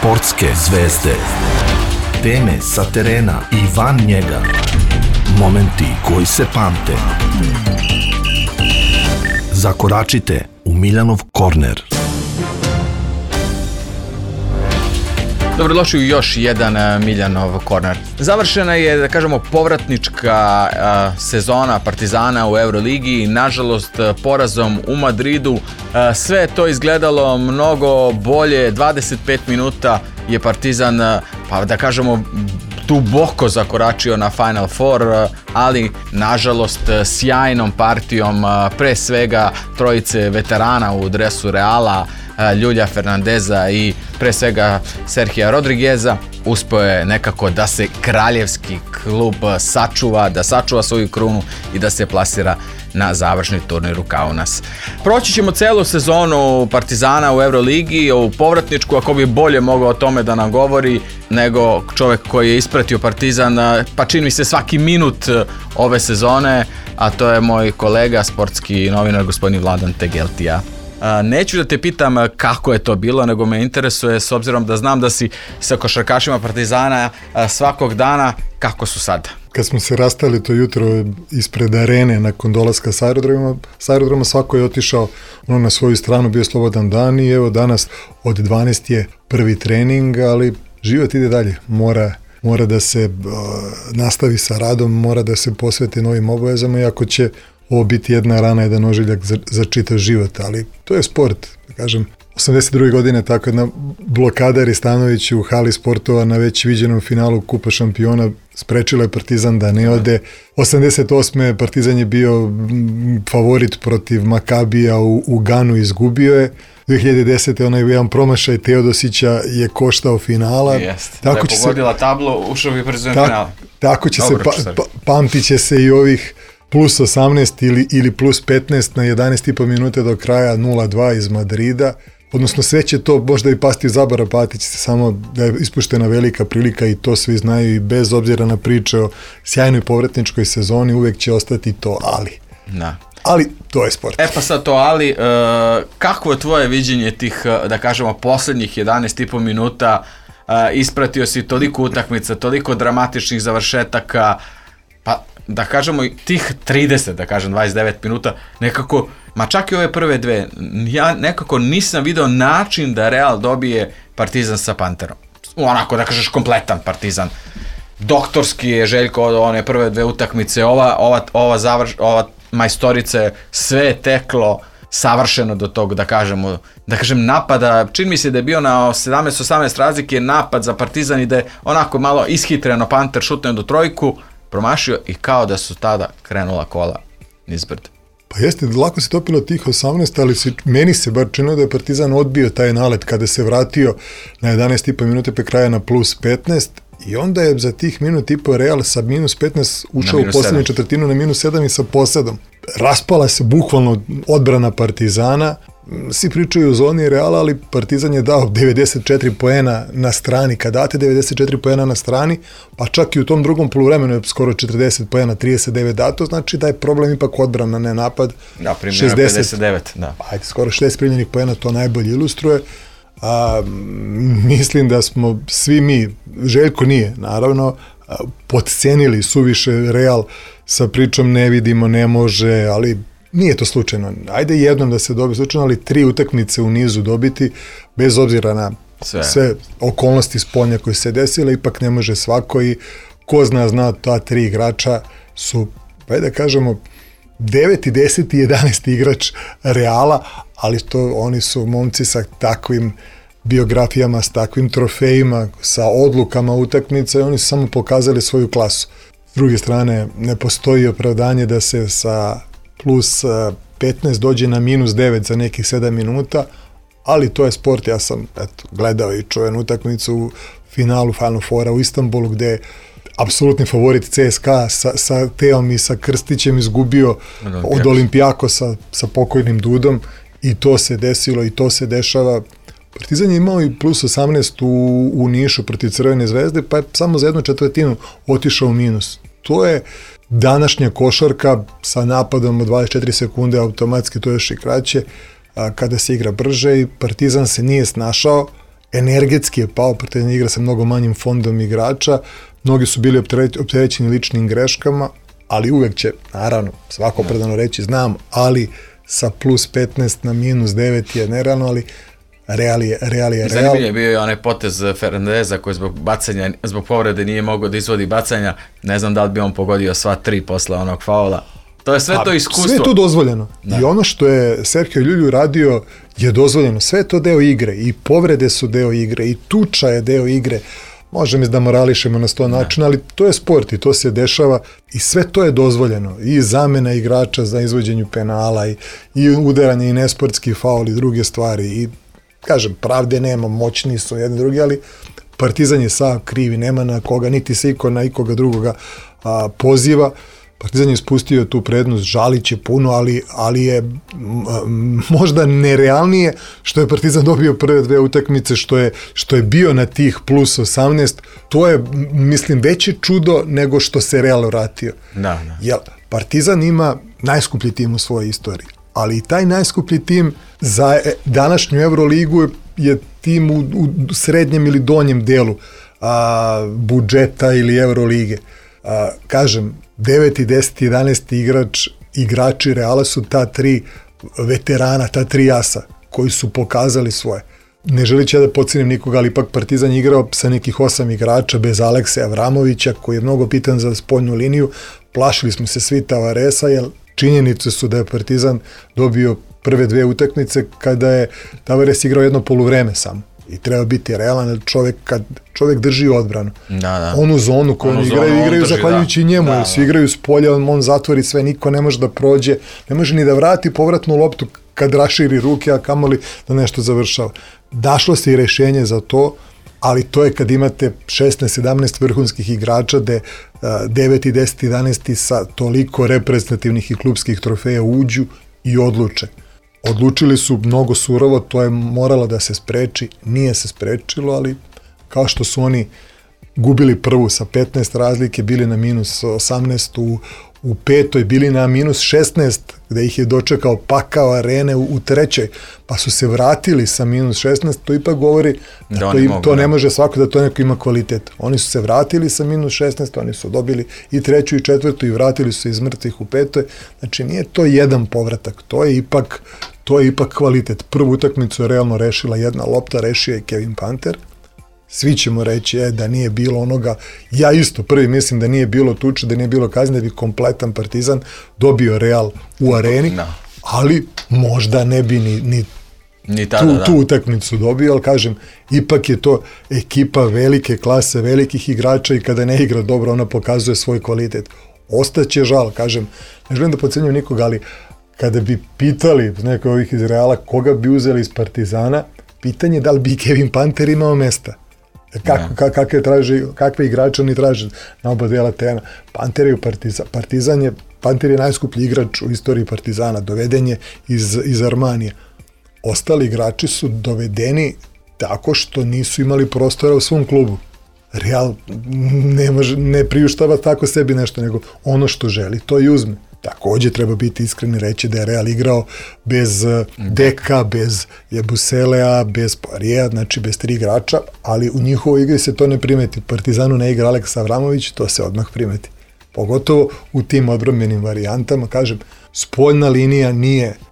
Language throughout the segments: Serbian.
Sportske zvezde. Teme sa terena i van njega. Momenti koji se pamte. Zakoračite u Miljanov korner. Dobrodošli u još jedan Miljanov korner. Završena je, da kažemo, povratnička sezona Partizana u Euroligi. Nažalost, porazom u Madridu sve je to izgledalo mnogo bolje. 25 minuta je Partizan, pa da kažemo, duboko zakoračio na Final Four, ali nažalost sjajnom partijom, pre svega trojice veterana u dresu Reala, Ljulja Fernandeza i pre svega Serhija Rodrigueza, uspeo je nekako da se kraljevski klub sačuva, da sačuva svoju krunu i da se plasira na završni turnir u Kaunas. Proći ćemo celu sezonu Partizana u Euroligi, u povratničku, ako bi bolje mogao o tome da nam govori nego čovjek koji je ispratio Partizan, pa čini mi se svaki minut ove sezone, a to je moj kolega, sportski novinar, gospodin Vladan Tegeltija. Neću da te pitam kako je to bilo, nego me interesuje, s obzirom da znam da si sa košarkašima Partizana svakog dana, kako su sad? Kad smo se rastali to jutro ispred arene nakon dolaska s aerodroma, svako je otišao na svoju stranu, bio slobodan dan i evo danas od 12 je prvi trening, ali život ide dalje, mora da se nastavi sa radom, mora da se posveti novim obavezama, iako će ovo biti jedna rana, jedan ožiljak za čitav život, ali to je sport, da kažem. 82. godine tako jedna blokada Ristanović u hali sportova na već viđenom finalu Kupa šampiona sprečila je Partizan da ne ode. 88. Partizan je bio favorit protiv Makabija u Ganu, izgubio je. 2010. onaj jedan promašaj Teodosića je koštao finala. Jeste, da je pogodila tablu, ušao bi Partizan finala. Tako će se, pamtit će se i ovih plus 18 ili plus 15 na 11,5 minute do kraja 0-2 iz Madrida. Odnosno sve će to možda i pasti u zaborav, pamtit će se samo da je ispuštena velika prilika i to svi znaju i bez obzira na priče o sjajnoj povratničkoj sezoni uvek će ostati to ali. Da. Ali to je sport. Pa sad to ali, kako je tvoje viđenje tih, da kažemo, posljednjih 11,5 minuta, ispratio si toliko utakmica, toliko dramatičnih završetaka, pa da kažemo tih 30, da kažem 29 minuta, nekako, ma čak i ove prve dve, ja nekako nisam video način da Real dobije Partizan sa Panterom. Onako da kažeš kompletan Partizan. Doktorski je Željko od one prve dve utakmice, ova majstorice, sve je teklo savršeno do tog, da kažem napada. Čini mi se da je bio na 17-18 razlike napad za Partizan i da je onako malo ishitreno Panter šutnuo do trojku, promašio i kao da su tada krenula kola nizbrd. Pa jeste, lako se topilo tih 18, ali meni se bar činilo da je Partizan odbio taj nalet kada se vratio na 11,5 minute pe kraja na plus 15 i onda je za tih minut i po Real sa minus 15 ušao u posljednju četvrtinu na minus 7 i sa posedom. Raspala se bukvalno odbrana Partizana, svi pričaju o zoni Reala, ali Partizan je dao 94 poena na strani. Kad date 94 poena na strani, pa čak i u tom drugom poluvremenu je skoro 40 poena, 39 dato, znači da je problem ipak odbrana, ne napad. Da, primljeno 59, da. Ajde, skoro 60 primljenih poena, to najbolje ilustruje. Mislim da smo svi mi, Željko nije, naravno, podcenili suviše Real sa pričom ne vidimo, ne može, ali nije to slučajno. Ajde jednom da se dobije slučajno, ali 3 utakmice u nizu dobiti, bez obzira na sve okolnosti spolja koje se desile, ipak ne može svako i ko zna ta 3 igrača su, pa da kažemo, 9. 10. i 11. igrač Reala, ali to oni su momci sa takvim biografijama, s takvim trofejima, sa odlukama utakmice, oni su samo pokazali svoju klasu. S druge strane, ne postoji opravdanje da se sa plus 15 dođe na minus 9 za nekih 7 minuta, ali to je sport. Ja sam gledao i čuven utakmicu u finalu Final Fora u Istanbulu, gde je apsolutni favorit CSKA sa Teom i sa Krstićem izgubio od Olimpijakosa sa pokojnim Dudom i to se desilo i to se dešava. Partizan je imao i plus 18 u Nišu protiv Crvene zvezde, pa je samo za 1/4 otišao u minus. To je današnja košarka sa napadom od 24 sekunde, automatski to još i kraće, kada se igra brže i Partizan se nije snašao energetski je pao, Partizan igra sa mnogo manjim fondom igrača, mnogi su bili opterećeni ličnim greškama, ali uvek će, naravno, svako opravdano reći, znam, ali sa plus 15 na minus 9 je nerealno, ali Real je Real. Zanimljiv je bio i onaj potez Fernandeza koji zbog povrede nije mogao da izvodi bacanja, ne znam da li bi on pogodio sva 3 posle onog faula. To je sve to iskustvo. Sve je to dozvoljeno. Da. I ono što je Sergio Llull radio je dozvoljeno. Sve je to deo igre. I povrede su deo igre. I tuča je deo igre. Možemo da morališemo na 100 načina, ali to je sport i to se dešava. I sve to je dozvoljeno. I zamena igrača za izvođenju penala, i udaranje, i nesportski faul, i druge stvari. I, kažem, pravde nema, moćni su jedni drugi, ali Partizan je sav krivi. Nema na koga, niti se iko na ikoga drugoga poziva. Partizan je spustio tu prednost, žalit će puno, ali je možda nerealnije što je Partizan dobio prve 2 utakmice, što je bio na tih plus 18, to je, mislim, veće čudo nego što se Real vratio. Da. Jer Partizan ima najskuplji tim u svojoj istoriji, ali i taj najskuplji tim za današnju Euroligu je tim u srednjem ili donjem delu budžeta ili Eurolige. Kažem, 9. 10. 11. igrači Reala su ta 3 veterana, ta 3 asa koji su pokazali svoje. Ne želići da podcenim nikoga, ali ipak Partizan je igrao sa nekih 8 igrača bez Alekse Avramovića, koji je mnogo pitan za spoljnu liniju. Plašili smo se svi Tavaresa, jer činjenice su da je Partizan dobio prve 2 utakmice kada je Tavares igrao jedno poluvreme samo. I treba biti realan, kad čovjek drži odbranu. Da. Onu zonu koju igraju zahvaljujući njemu, jer svi igraju s polja, on zatvori sve, niko ne može da prođe, ne može ni da vrati povratnu loptu kad raširi ruke, a kamoli da nešto završava. Dašlo se i rešenje za to, ali to je kad imate 16-17 vrhunskih igrača, gde 9. 10. 11. sa toliko reprezentativnih i klubskih trofeja uđu i odluče. Odlučili su mnogo surovo, to je moralo da se spreči, nije se sprečilo, ali kao što su oni gubili prvu sa 15 razlike, bili na minus 18 u petoj, bili na minus 16, gde ih je dočekao pakao arene u trećoj, pa su se vratili sa minus 16, to ipak govori da to ne može svako da to neko ima kvalitet. Oni su se vratili sa minus 16, oni su dobili i treću i četvrtu i vratili su se iz mrtvih u petoj, znači nije to jedan povratak, to je ipak kvalitet. Prvu utakmicu je realno rešila jedna lopta, rešio je Kevin Panter. Svi ćemo reći da nije bilo onoga, ja isto prvi mislim da nije bilo tuče, da nije bilo kazne, da bi kompletan Partizan dobio Real u areni, ali možda ne bi ni tu utakmicu dobio, ali kažem, ipak je to ekipa velike klase, velikih igrača i kada ne igra dobro, ona pokazuje svoj kvalitet. Ostaće žal, kažem, ne želim da podcenjujem nikoga, ali kada bi pitali neko ovih iz Reala koga bi uzeli iz Partizana, pitanje je da li bi Kevin Panter imao mesta. Kakve igrače oni traže na oba dela terena. Panter je najskuplji igrač u istoriji Partizana, doveden je iz Armanija. Ostali igrači su dovedeni tako što nisu imali prostora u svom klubu. Real ne priuštava tako sebi nešto, nego ono što želi, to i uzme. Takođe treba biti iskreni reći da je Real igrao bez Deka, bez Jebuselea, bez Poirier, znači bez 3 igrača, ali u njihovoj igri se to ne primeti. Partizanu ne igra Aleksa Avramović, to se odmah primeti. Pogotovo u tim odbrambenim varijantama, kažem, spoljna linija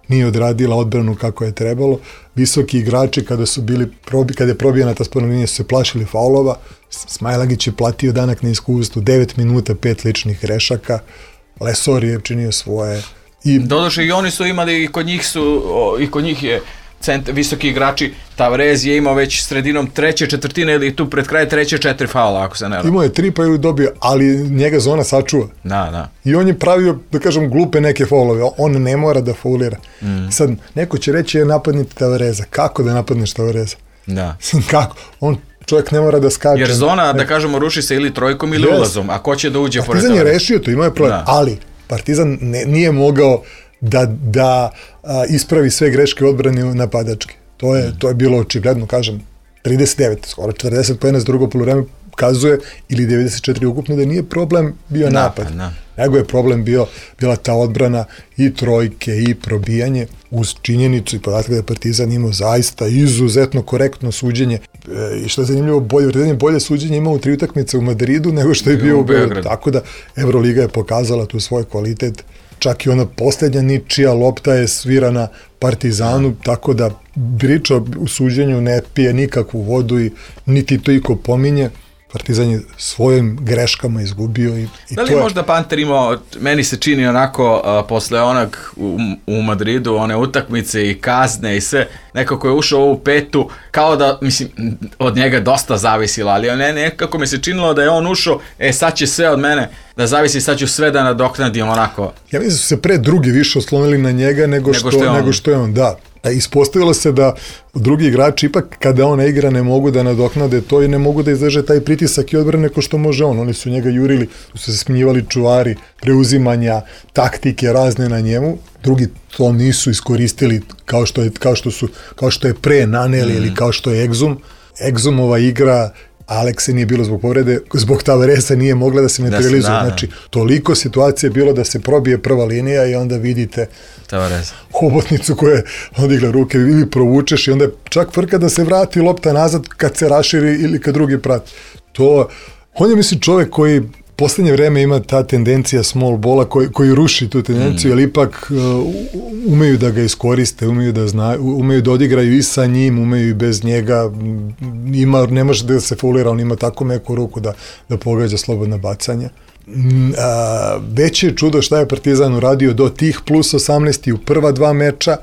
nije odradila odbranu kako je trebalo. Visoki igrači kada je probijena ta spoljna linija su se plašili faulova. Smajlagić je platio danak na iskustvu, 9 minuta, 5 ličnih grešaka. Lesor je činio svoje. Doduše i oni su imali, i kod njih je visoki igrači, Tavares je imao već sredinom treće četvrtine ili tu pred kraj treće 4 faula, ako se ne varam. Imao je 3 pa je dobio, ali njega zona sačuva. Da. I on je pravio, da kažem, glupe neke faulove, on ne mora da faulira. Sad, neko će reći napadnite Tavareza. Kako da napadneš Tavareza? Da. Kako? Čovjek ne mora da skače. Jer zona, da kažemo, ruši se ili trojkom ili ulazom, a ko će da uđe pored Partizan je rešio to, imao je problem, ali Partizan nije mogao da ispravi sve greške odbrane napadačke. To je bilo očigledno, kažem, 39, skoro 40 poena za drugo poluvreme, kazuje, ili 94 ukupno, da nije problem bio napad. Nego je problem bila ta odbrana i trojke i probijanje, uz činjenicu i podatak da je Partizan imao zaista izuzetno korektno suđenje. I što je zanimljivo, Partizan je bolje suđenje imao u 3 utakmice u Madridu nego što je bio u Beogradu. Tako da Evroliga je pokazala tu svoj kvalitet. Čak i ona posljednja ničija lopta je svirana Partizanu, tako da priča u suđenju ne pije nikakvu vodu i niti to iko pominje. Partizan je svojim greškama izgubio i da li je možda Panter imao, meni se čini onako posle onog u Madridu, one utakmice i kazne i sve, nekako je ušao u ovu petu, kao da, mislim, od njega dosta zavisilo, ali nekako mi se činilo da je on ušao, sad će sve od mene da zavisi, sad ću sve da nadoknadim onako. Ja mislim da su se pre drugi više oslonili na njega nego što je on, da. Ispostavilo se da drugi igrači ipak kada on ne igra ne mogu da nadoknade to i ne mogu da izdrže taj pritisak i odbrane ko što može on. Oni su njega jurili, su se smenjivali čuvari, preuzimanja, taktike razne na njemu. Drugi to nisu iskoristili kao što je pre Naneli ili kao što je Exum. Exumova igra, Alekse nije bilo zbog povrede, zbog Tavaresa nije mogla da se materializuje. Znači, toliko situacije je bilo da se probije prva linija i onda vidite Tavaresa. Hobotnicu koja je odigla ruke ili provučeš i onda je čak frka da se vrati lopta nazad kad se raširi ili kad drugi prati. On je, mislim, čovjek koji poslednje vreme ima ta tendencija small balla koji ruši tu tendenciju, ali ipak umeju da ga iskoriste, umeju da odigraju i sa njim, umeju i bez njega, ne može da se faulira, on ima tako meku ruku da pogađa slobodna bacanja. Veće je čudo šta je Partizan uradio do tih plus 18 u prva 2 meča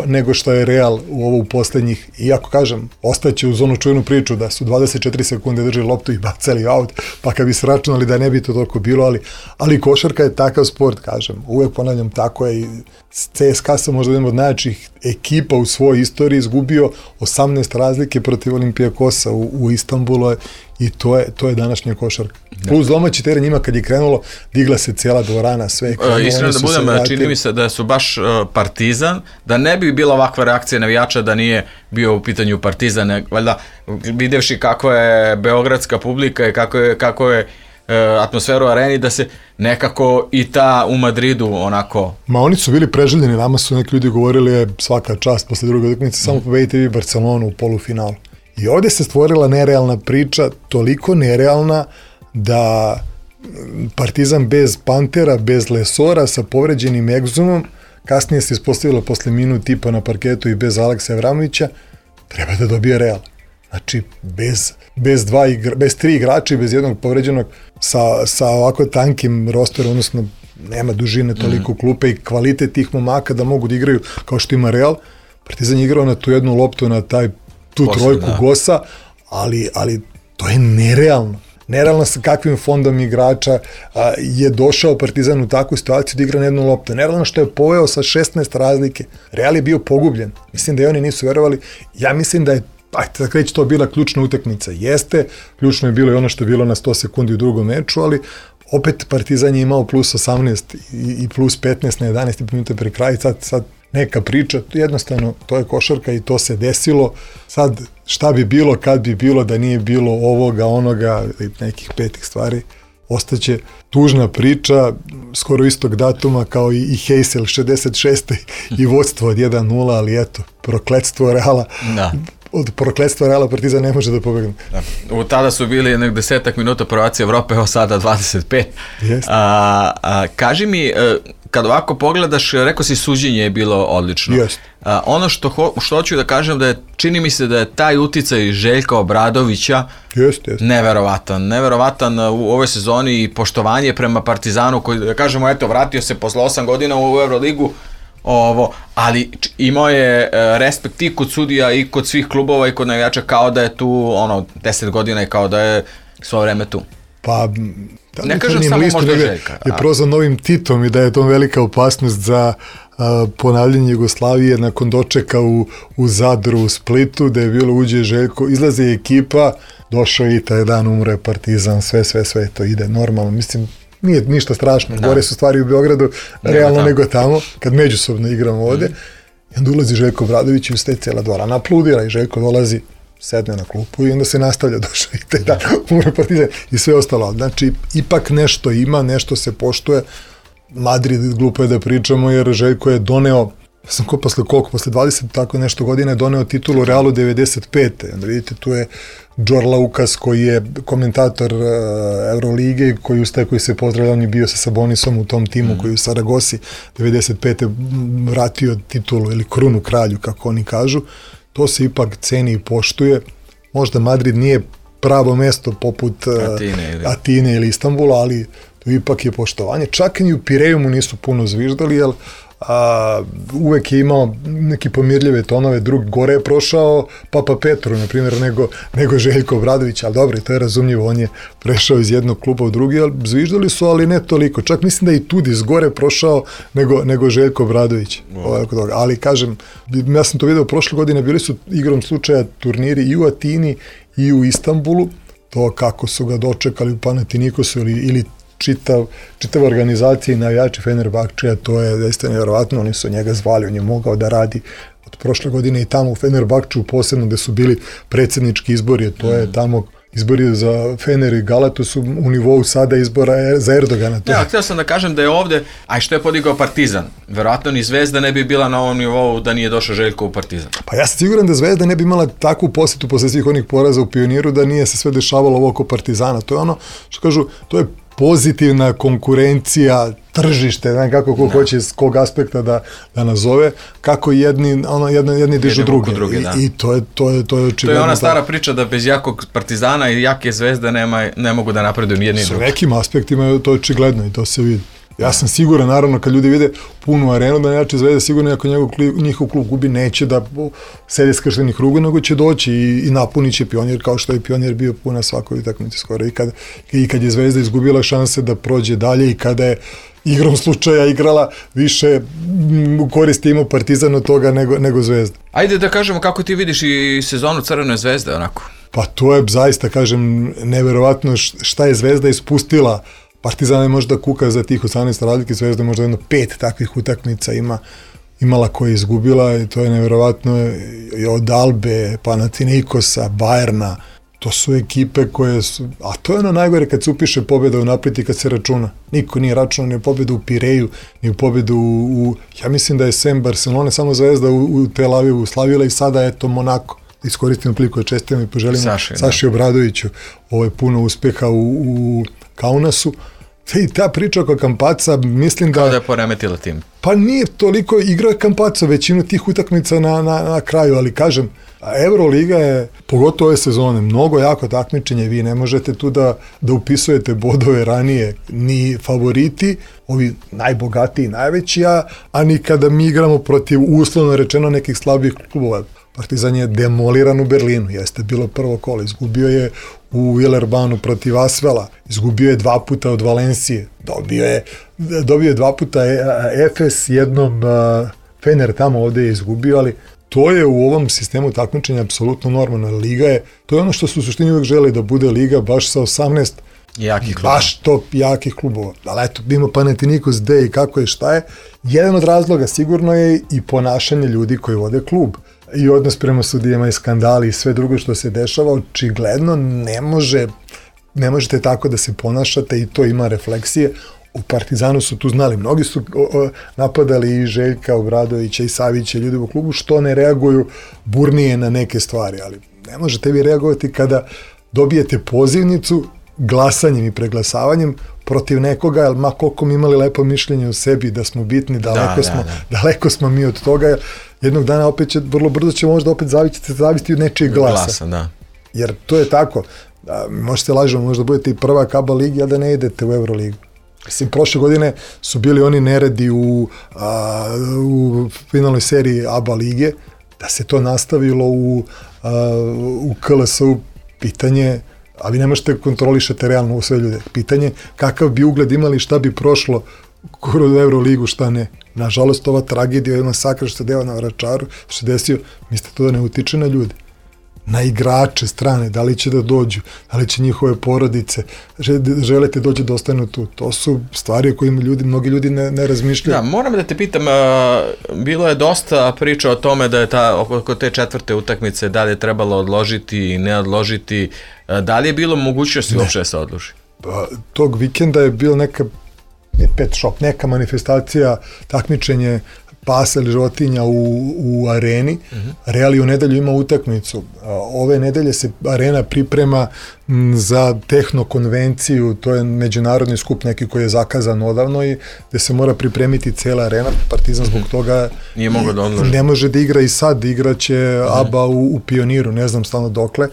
nego što je Real u poslednjih, iako kažem, ostaće uz onu čujenu priču da su 24 sekunde držali loptu i bacali out, pa kad bi se računali da ne bi to toliko bilo, ali košarka je takav sport, kažem, uvek ponavljam, tako je i CSKA sam možda jedan od najjačih ekipa u svojoj istoriji izgubio 18 razlike protiv Olimpijakosa u Istanbulu i to je današnja košarka. Plus domaći teren njima kad je krenulo, digla se cijela dvorana, sve. Iskreno da budem, čini mi se da su baš Partizan, da ne bi bila ovakva reakcija navijača da nije bio u pitanju Partizan, valjda videvši kako je beogradska publika i kako je atmosferu u areni, da se nekako i ta u Madridu onako... Ma oni su bili preželjeni, nama su neki ljudi govorili svaka čast posle druge utakmice, samo pobedite vi Barcelonu u polufinalu. I ovdje se stvorila nerealna priča, toliko nerealna da Partizan bez Pantera, bez Lesora, sa povređenim Exumom, kasnije se ispostavilo posle minut tipa na parketu i bez Aleksa Evramovića, treba da dobije Real. Znači, bez 3 igrača i bez jednog povređenog sa ovako tankim rosterom, odnosno nema dužine toliko klupe i kvalitet tih momaka da mogu da igraju kao što ima Real. Partizan je igrao na tu jednu loptu, na tu trojku Gosa, ali to je nerealno. Nerealno sa kakvim fondom igrača je došao Partizan u takvu situaciju da igra na jednu loptu. Nerealno što je poveo sa 16 razlike. Real je bio pogubljen. Mislim da i oni nisu verovali. Ja mislim da je tako reći to bila ključna utakmica. Jeste, ključno je bilo i ono što je bilo na 100 sekundi u drugom meču, ali opet Partizan je imao plus 18 i plus 15 na 11 minuta pre kraja. Sad neka priča, jednostavno to je košarka i to se desilo. Sad šta bi bilo kad bi bilo da nije bilo ovoga, onoga i nekih petih stvari, ostaće tužna priča skoro istog datuma kao i Heysel 66. i vodstvo od 1-0, ali eto, prokletstvo Reala. Da. Od prokletstva Reala Partizan ne može da pobegne. Da. Tada su bili 10 minuta prvaci Evrope, evo sada 25. Kaži mi, kad ovako pogledaš, rekao si suđenje je bilo odlično. Ono što hoću da kažem da je, čini mi se da je taj uticaj Željka Obradovića neverovatan u ovoj sezoni i poštovanje prema Partizanu koji, da kažemo, eto, vratio se posle 8 godina u Euroligu, ali imao je respekt i kod sudija i kod svih klubova i kod navijača, kao da je tu 10 godina i kao da je svo vreme tu. Pa ne kažem samo možda Željka. Je prozvan novim Titom i da je to velika opasnost za ponavljanje Jugoslavije nakon dočeka u Zadru, u Splitu, da je bilo uđe Željko, izlazi ekipa, došao i taj dan umre Partizan, sve to ide normalno, mislim, nije ništa strašno, gore su stvari u Beogradu realno nego tamo, kad međusobno igramo ovde, i onda ulazi Željko Obradović i ustaje cijela dvorana, aplaudira i Željko dolazi sedne na klupu i onda se nastavlja došao i te da umre Partizan i sve ostalo. Znači, ipak nešto ima, nešto se poštuje. Madrid, glupo je da pričamo, jer Željko je doneo, posle 20 tako nešto godina je doneo titulu Realu 95. Onda vidite, tu je Džor Laukas koji je komentator Eurolige, koji se pozdravlja, on je bio sa Sabonisom u tom timu koji u Saragosi 95. vratio titulu ili krunu kralju, kako oni kažu. To se ipak ceni i poštuje. Možda Madrid nije pravo mesto poput Atine ili Istanbula, ali to ipak je poštovanje. Čak i u Pireju mu nisu puno zviždali, jer uvek je imao neki pomirljive tonove, drug gore je prošao Papa Petru, na primjer, nego Željko Obradović, ali dobro, to je razumljivo, on je prešao iz jednog kluba u drugi, ali zviždali su, ali ne toliko. Čak mislim da i Tudis gore prošao nego Željko Obradović. Ali kažem, ja sam to vidio prošle godine, bili su igrom slučaja turniri i u Atini i u Istanbulu, to kako su ga dočekali u Panatinikosu ili čitava organizacija i navijači Fenerbahčeja, to je zaista nevjerovatno, oni su njega zvali, on je mogao da radi od prošle godine i tamo u Fenerbahčeju, posebno gde su bili predsjednički izbori, to je tamo izbori za Fener i Galatu su u nivou sada izbora za Erdogana. Ja, htio sam da kažem da je ovde, a što je podigao Partizan, verovatno ni Zvezda ne bi bila na ovom nivou da nije došao Željko u Partizan. Pa ja sam siguran da Zvezda ne bi imala takvu posjetu posle svih onih poraza u Pioniru da nije se sve dešavalo ovo oko Partizana. To je ono što kažu, to je pozitivna konkurencija, tržište, znam kako ko hoće s kog aspekta da nazove, kako jedni dižu druge. I to je očigledno. To je ona stara priča da bez jakog Partizana i jake Zvezde ne mogu da napreduju jedni i drugi. S nekim aspektima je to očigledno i to se vidi. Ja sam siguran, naravno, kad ljudi vide punu arenu, da neće Zvezda sigurno ako njihov klub gubi, neće da sede skrštenih ruku, nego će doći i napunit će Pionir, kao što je Pionir bio puna svakoj utakmici skoro. I kad je Zvezda izgubila šanse da prođe dalje i kada je igrom slučaja igrala više u korist ima Partizan od toga nego Zvezda. Ajde da kažemo kako ti vidiš i sezonu Crvene Zvezde, onako. Pa to je zaista, kažem, neverovatno šta je Zvezda ispustila. Partizan je možda kuka za tih 18 razlike, Zvezda je možda 5 takvih utakmica imala koja je izgubila i to je neverovatno i od Albe, Panathinaikosa, Bayerna, to su ekipe koje su, a to je ono najgore kad se upiše pobjeda u napred i kad se računa. Niko nije računao ni pobjedu u Pireju, ni pobjedu ja mislim da je sem Barcelone, samo Zvezda u Tel Avivu slavila i sada eto Monako. Iskoristimo priliku da čestitamo i poželimo Saši Obradoviću puno uspeha u Kaunasu. I ta priča oko Kampaca, mislim kao da je poremetila tim. Pa nije toliko igrao Kampaca većinu tih utakmica na kraju, ali kažem, Euroliga je, pogotovo ove sezone, mnogo jako takmičenje, vi ne možete tu da upisujete bodove ranije, ni favoriti, ovi najbogatiji, najveći, a ni kada mi igramo protiv, uslovno rečeno, nekih slabih klubova. Partizan je demoliran u Berlinu, jeste bilo prvo kolo, izgubio je u Villerbanu protiv Asvela, izgubio je 2 puta od Valencije, dobio je 2 puta Efes, jednom Fener tamo ovde je izgubio, ali to je u ovom sistemu takmičenja apsolutno normalno. Liga je, to je ono što su u suštini uvek žele da bude liga baš sa 18 jakih klubova. Baš top jakih klubova. Ali eto, ima Panathinaikos gde i kako je, šta je. Jedan od razloga sigurno je i ponašanje ljudi koji vode klub. I odnos prema sudijama i skandali i sve drugo što se dešava, očigledno ne možete tako da se ponašate i to ima refleksije. U Partizanu su tu znali, mnogi su napadali i Željka Obradovića i Savića, ljudi u klubu, što ne reaguju burnije na neke stvari, ali ne možete vi reagovati kada dobijete pozivnicu glasanjem i preglasavanjem protiv nekoga, jer ma koliko mi imali lepo mišljenje o sebi, da smo bitni, daleko smo mi od toga, jednog dana opet će, vrlo brzo će možda opet zavisiti od nečijeg glasa. Jer to je tako, možete lažemo, možda budete i prvak ABA ligi, a da ne idete u Euroligu. Mislim, prošle godine su bili oni neredi u finalnoj seriji ABA lige, da se to nastavilo u KLS-u, pitanje, a vi ne možete kontrolišete realno u sve ljude, pitanje kakav bi ugled imali, šta bi prošlo kroz Euroligu, šta ne. Nažalost, ova tragedija, ovaj masakr što se deo na Vračaru, što se desio, mislite to da ne utiče na ljude. na igrače strane, da li će da dođu, da li će njihove porodice, želite dođu da ostanu tu. To su stvari o kojima mnogi ljudi ne razmišljaju. Da, moram da te pitam, bilo je dosta priča o tome da je oko te 4. utakmice da li je trebalo odložiti i ne odložiti, da li je bilo mogućnosti uopšte da se odloži? Tog vikenda je bilo neka manifestacija, takmičenje pasa ili životinja u areni. Real u nedelju ima utakmicu. Ove nedelje se arena priprema za tehnokonvenciju, to je međunarodni skup neki koji je zakazan odavno i gde se mora pripremiti cela arena. Partizan zbog toga nije mogao da odloži. Ne može da igra i sad, igraće ABA u Pioniru, ne znam stalno dokle.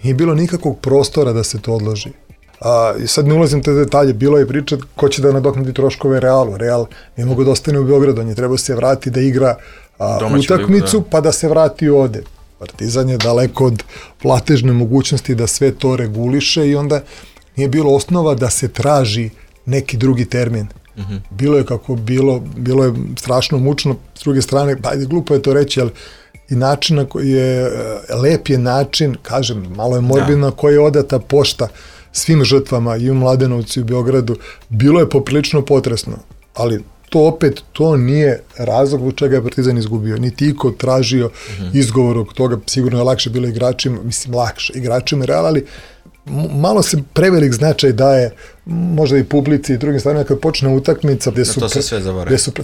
Nije bilo nikakvog prostora da se to odloži. I sad ne ulazim te detalje, bilo je priča ko će da nadoknadi troškove Realu. Real ne mogu da ostane u Beogradu, on je trebao se vrati da igra utakmicu, pa da se vrati ovde. Partizan je daleko od platežne mogućnosti da sve to reguliše i onda nije bilo osnova da se traži neki drugi termin. Bilo je kako bilo je strašno mučno, s druge strane, glupo je to reći, ali i način na koji je, lep je način, kažem, malo je morbidno, koji je odata pošta svim žrtvama i u Mladenovcu i u Beogradu, bilo je poprilično potresno, ali to nije razlog u čega je Partizan izgubio, niti iko tražio izgovor od toga, sigurno je lakše bilo igračima, igračima Reala, ali malo se prevelik značaj daje možda i publici i drugim stvarima kad počne utakmica gde su,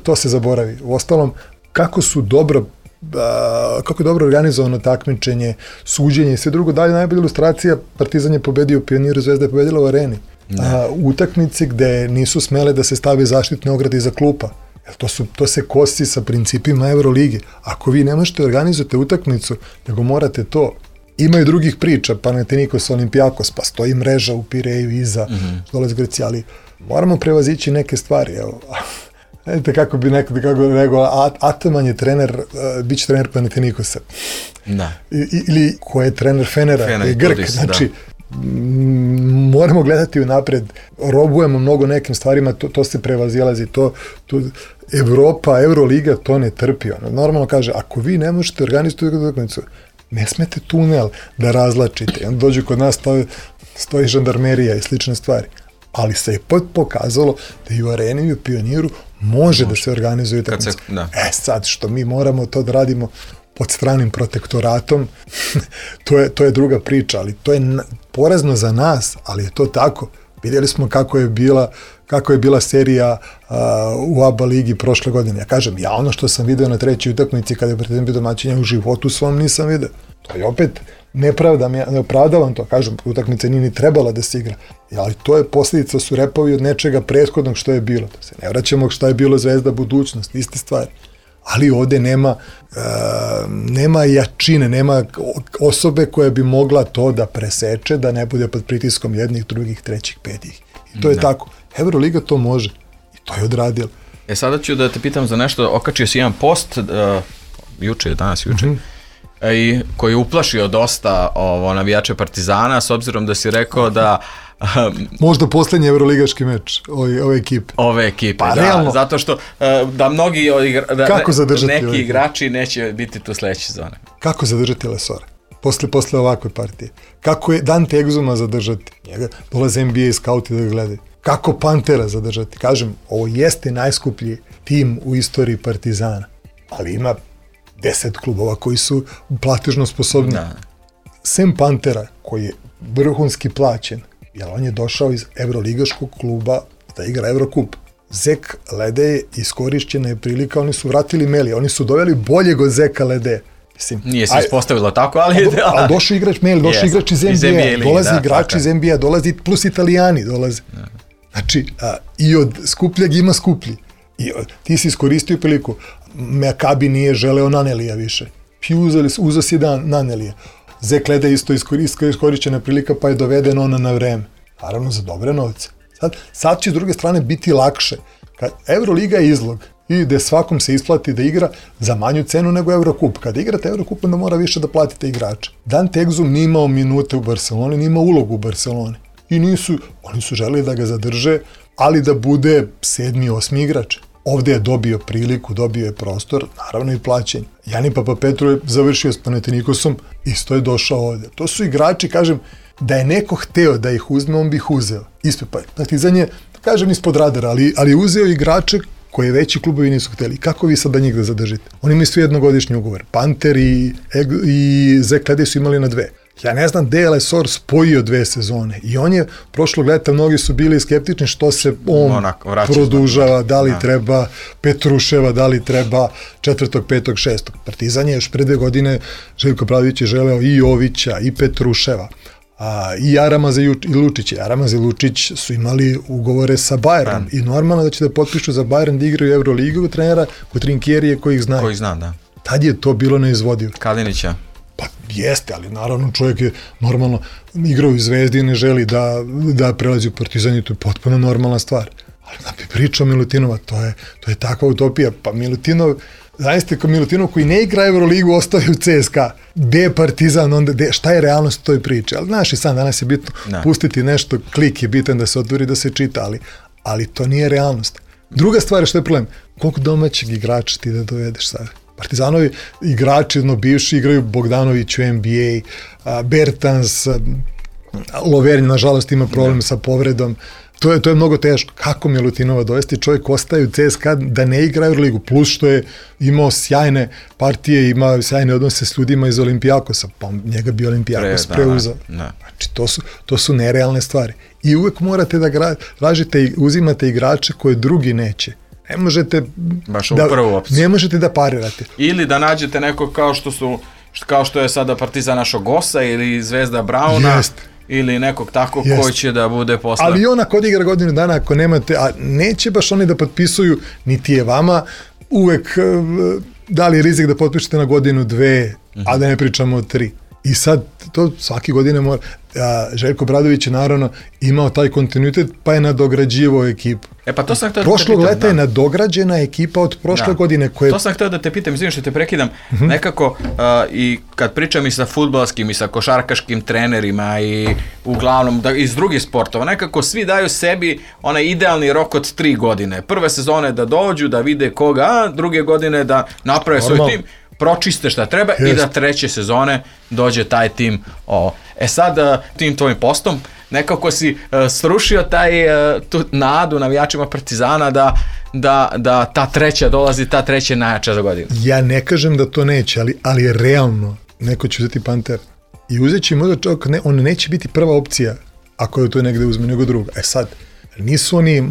to se zaboravi. Uostalom, kako je dobro organizovano takmičenje, suđenje i sve drugo, dalje najbolja ilustracija, Partizan je pobedio u Pioniru, Zvezda je pobedila u areni. Utakmice gde nisu smele da se stave zaštitne ograde iza klupa. To se kosi sa principima Euroligi. Ako vi ne možete organizujete utakmicu, nego morate to. Ima i drugih priča, Panathinaikos, Olympiakos, pa stoji mreža u Pireju iza, dole s Greci, ali moramo prevazići neke stvari, evo. Vidite kako bi neko rekao, Ataman je trener, bit će trener Panathinaikosa. Da. Ili ko je trener Fenera, je Grk. Znači, moramo gledati unapred, robujemo mnogo nekim stvarima, to se prevazilazi, Evropa, Euroliga to ne trpi. Normalno kaže, ako vi ne možete organizovati utakmicu, ne smete tunel da razlačite. Onda dođu kod nas, stoji žandarmerija i slične stvari. Ali se je pokazalo da i u areni i u Pioniru može da se organizuje utakmica. Sad, što mi moramo to da radimo pod stranim protektoratom, to je druga priča, ali to je porazno za nas, ali je to tako. Vidjeli smo kako je bila serija u ABA ligi prošle godine. Ja kažem, ono što sam video na 3. utakmici kada je Partizan bio domaćin, u životu svom nisam video. To je opet nepravda, ne opravdavam to, kažem, utakmica nije ni trebala da se igra. Ali to je posljedica, su repovi od nečega prethodnog što je bilo. To se ne vraćamo šta je bilo Zvezda, budućnost, iste stvari. Ali ovde nema jačine, nema osobe koja bi mogla to da preseče, da ne bude pod pritiskom jednih, drugih, trećih, petih. I to je tako. Euroliga to može. I to je odradila. Sada ću da te pitam za nešto. Okačio si jedan post, danas juče, i koji je uplašio dosta navijače Partizana, s obzirom da si rekao da možda poslednji evroligaški meč ove ekipe. Ove ekipe, da, zato što da mnogi neki igrači neće biti tu sledeće sezone. Kako zadržati Lesora? Posle ovakve partije. Kako je Dante Exuma zadržati? Njega dolaze NBA i skauti da ga gledaju. Kako Pantera zadržati? Kažem, ovo jeste najskuplji tim u istoriji Partizana, ali ima 10 klubova koji su platežno sposobni. Sem Pantera, koji je vrhunski plaćen, jer on je došao iz evroligaškog kluba da igra Evrokup. Zek Lede iskorišćena je prilika, oni su vratili Meli, oni su doveli boljeg od Zeka Lede. Nije se ispostavilo tako, ali ali došao igrač Meli, došao igrač iz NBA, dolazi igrač iz NBA, dolazi plus Italijani dolaze. Znači, i od skupljeg ima skuplji. I ti si iskoristio priliku. Mekabi nije želeo Nanelija više. Uzeo si Nanelija. Zek Lede isto iskorišćena prilika, pa je doveden ona na vreme. Naravno za dobre novce. Sad će s druge strane biti lakše. Euroliga je izlog i gde svakom se isplati da igra za manju cenu nego Evrokup. Kada igrate Evrokup, onda mora više da platite igrača. Dante Exum nije imao minute u Barceloni, nije imao ulogu u Barceloni. I oni su želeli da ga zadrže, ali da bude 7. 8. igrač. Ovde je dobio priliku, dobio je prostor, naravno i plaćenje. Jani Papapetru je završio s Panathinaikosom, isto je došao ovde. To su igrači, kažem, da je neko hteo da ih uzme, on bi ih uzeo. Ispred, pa Partizan je, kažem, ispod radara, ali uzeo igrače koje veći klubovi nisu hteli. Kako vi sad da njih da zadržite? Oni imaju svi jednogodišnji ugovor. Panter i Zek Ledej su imali na 2. Ja ne znam gde je Lesor spojio 2 sezone i on je prošlog leta, mnogi su bili skeptični što se on produžava, da li treba Petruševa, da li treba 4., 5., 6. Partizan je još pre 2 godine, Željko Obradović je želeo i Jovića i Petruševa. I Aramaz i Lučić. Aramaz i Lučić su imali ugovore sa Bayernom i normalno da će da potpišu za Bayern da igraju Euroligu trenera kod Trinkjerije koji ih znaju. Koji zna, da. Tad je to bilo neizvodivo. Kalinića. Pa jeste, ali naravno čovjek je normalno igrao u Zvezdi i ne želi da prelazi u Partizan i to je potpuno normalna stvar. Ali da bi pričao Milutinova, to je takva utopija. Pa Milutinov, zaista kao Milutinov koji ne igra Euroligu ostaje u CSKA. Gde je Partizan, onda šta je realnost toj priči? Ali znaš i sam, danas je bitno pustiti nešto, klik je bitan da se otvori, da se čita, ali to nije realnost. Druga stvar je što je problem, koliko domaćeg igrača ti da dovedeš sada? Partizanovi igrači, bivši igraju Bogdanović u NBA, Bertans, Lovernj, nažalost, ima problem sa povredom. To je mnogo teško. Kako Milutinova dovesti? Čovjek ostaje u CSKA da ne igra Euroligu, plus što je imao sjajne partije, ima sjajne odnose s ljudima iz Olimpijakosa, pa njega bi Olimpijakos preuzao. Znači, to su nerealne stvari. I uvek morate da tražite i uzimate igrače koje drugi neće. Ne možete baš u prvu opciju. Ne možete da parirate. Ili da nađete neko kao što je sada Partizan našo Gosa ili Zvezda Brauna. Jest. Ili nekog tako koji će da bude posle. Ali on ako odigra godinu dana, ako nemate, a neće baš oni da potpisuju, niti je vama uvek dali rizik da potpišete na godinu 2, a da ne pričamo o 3. I sad, to svake godine mora. Željko Obradović je naravno imao taj kontinuitet, pa je nadograđivao ekipu. Pa to sam htio da te pitam. Prošlog leta je nadograđena ekipa od prošle godine. To sam htio da te pitam, izvinim što te prekidam. Nekako, i kad pričam i sa fudbalskim i sa košarkaškim trenerima i uglavnom iz drugih sportova, nekako svi daju sebi onaj idealni rok od 3 godine. Prve sezone da dođu, da vide koga, a druge godine da naprave svoj tim, pročiste šta treba i da 3. sezone dođe taj tim. Sad tim tvojim postom nekako si srušio tu nadu navijačima Partizana da ta 3. dolazi, ta 3. najjača za godinu. Ja ne kažem da to neće, ali realno neko će uzeti Panter i uzet će možda čovjek, on neće biti prva opcija ako je to negde uzme nego druga. Sad, nisu oni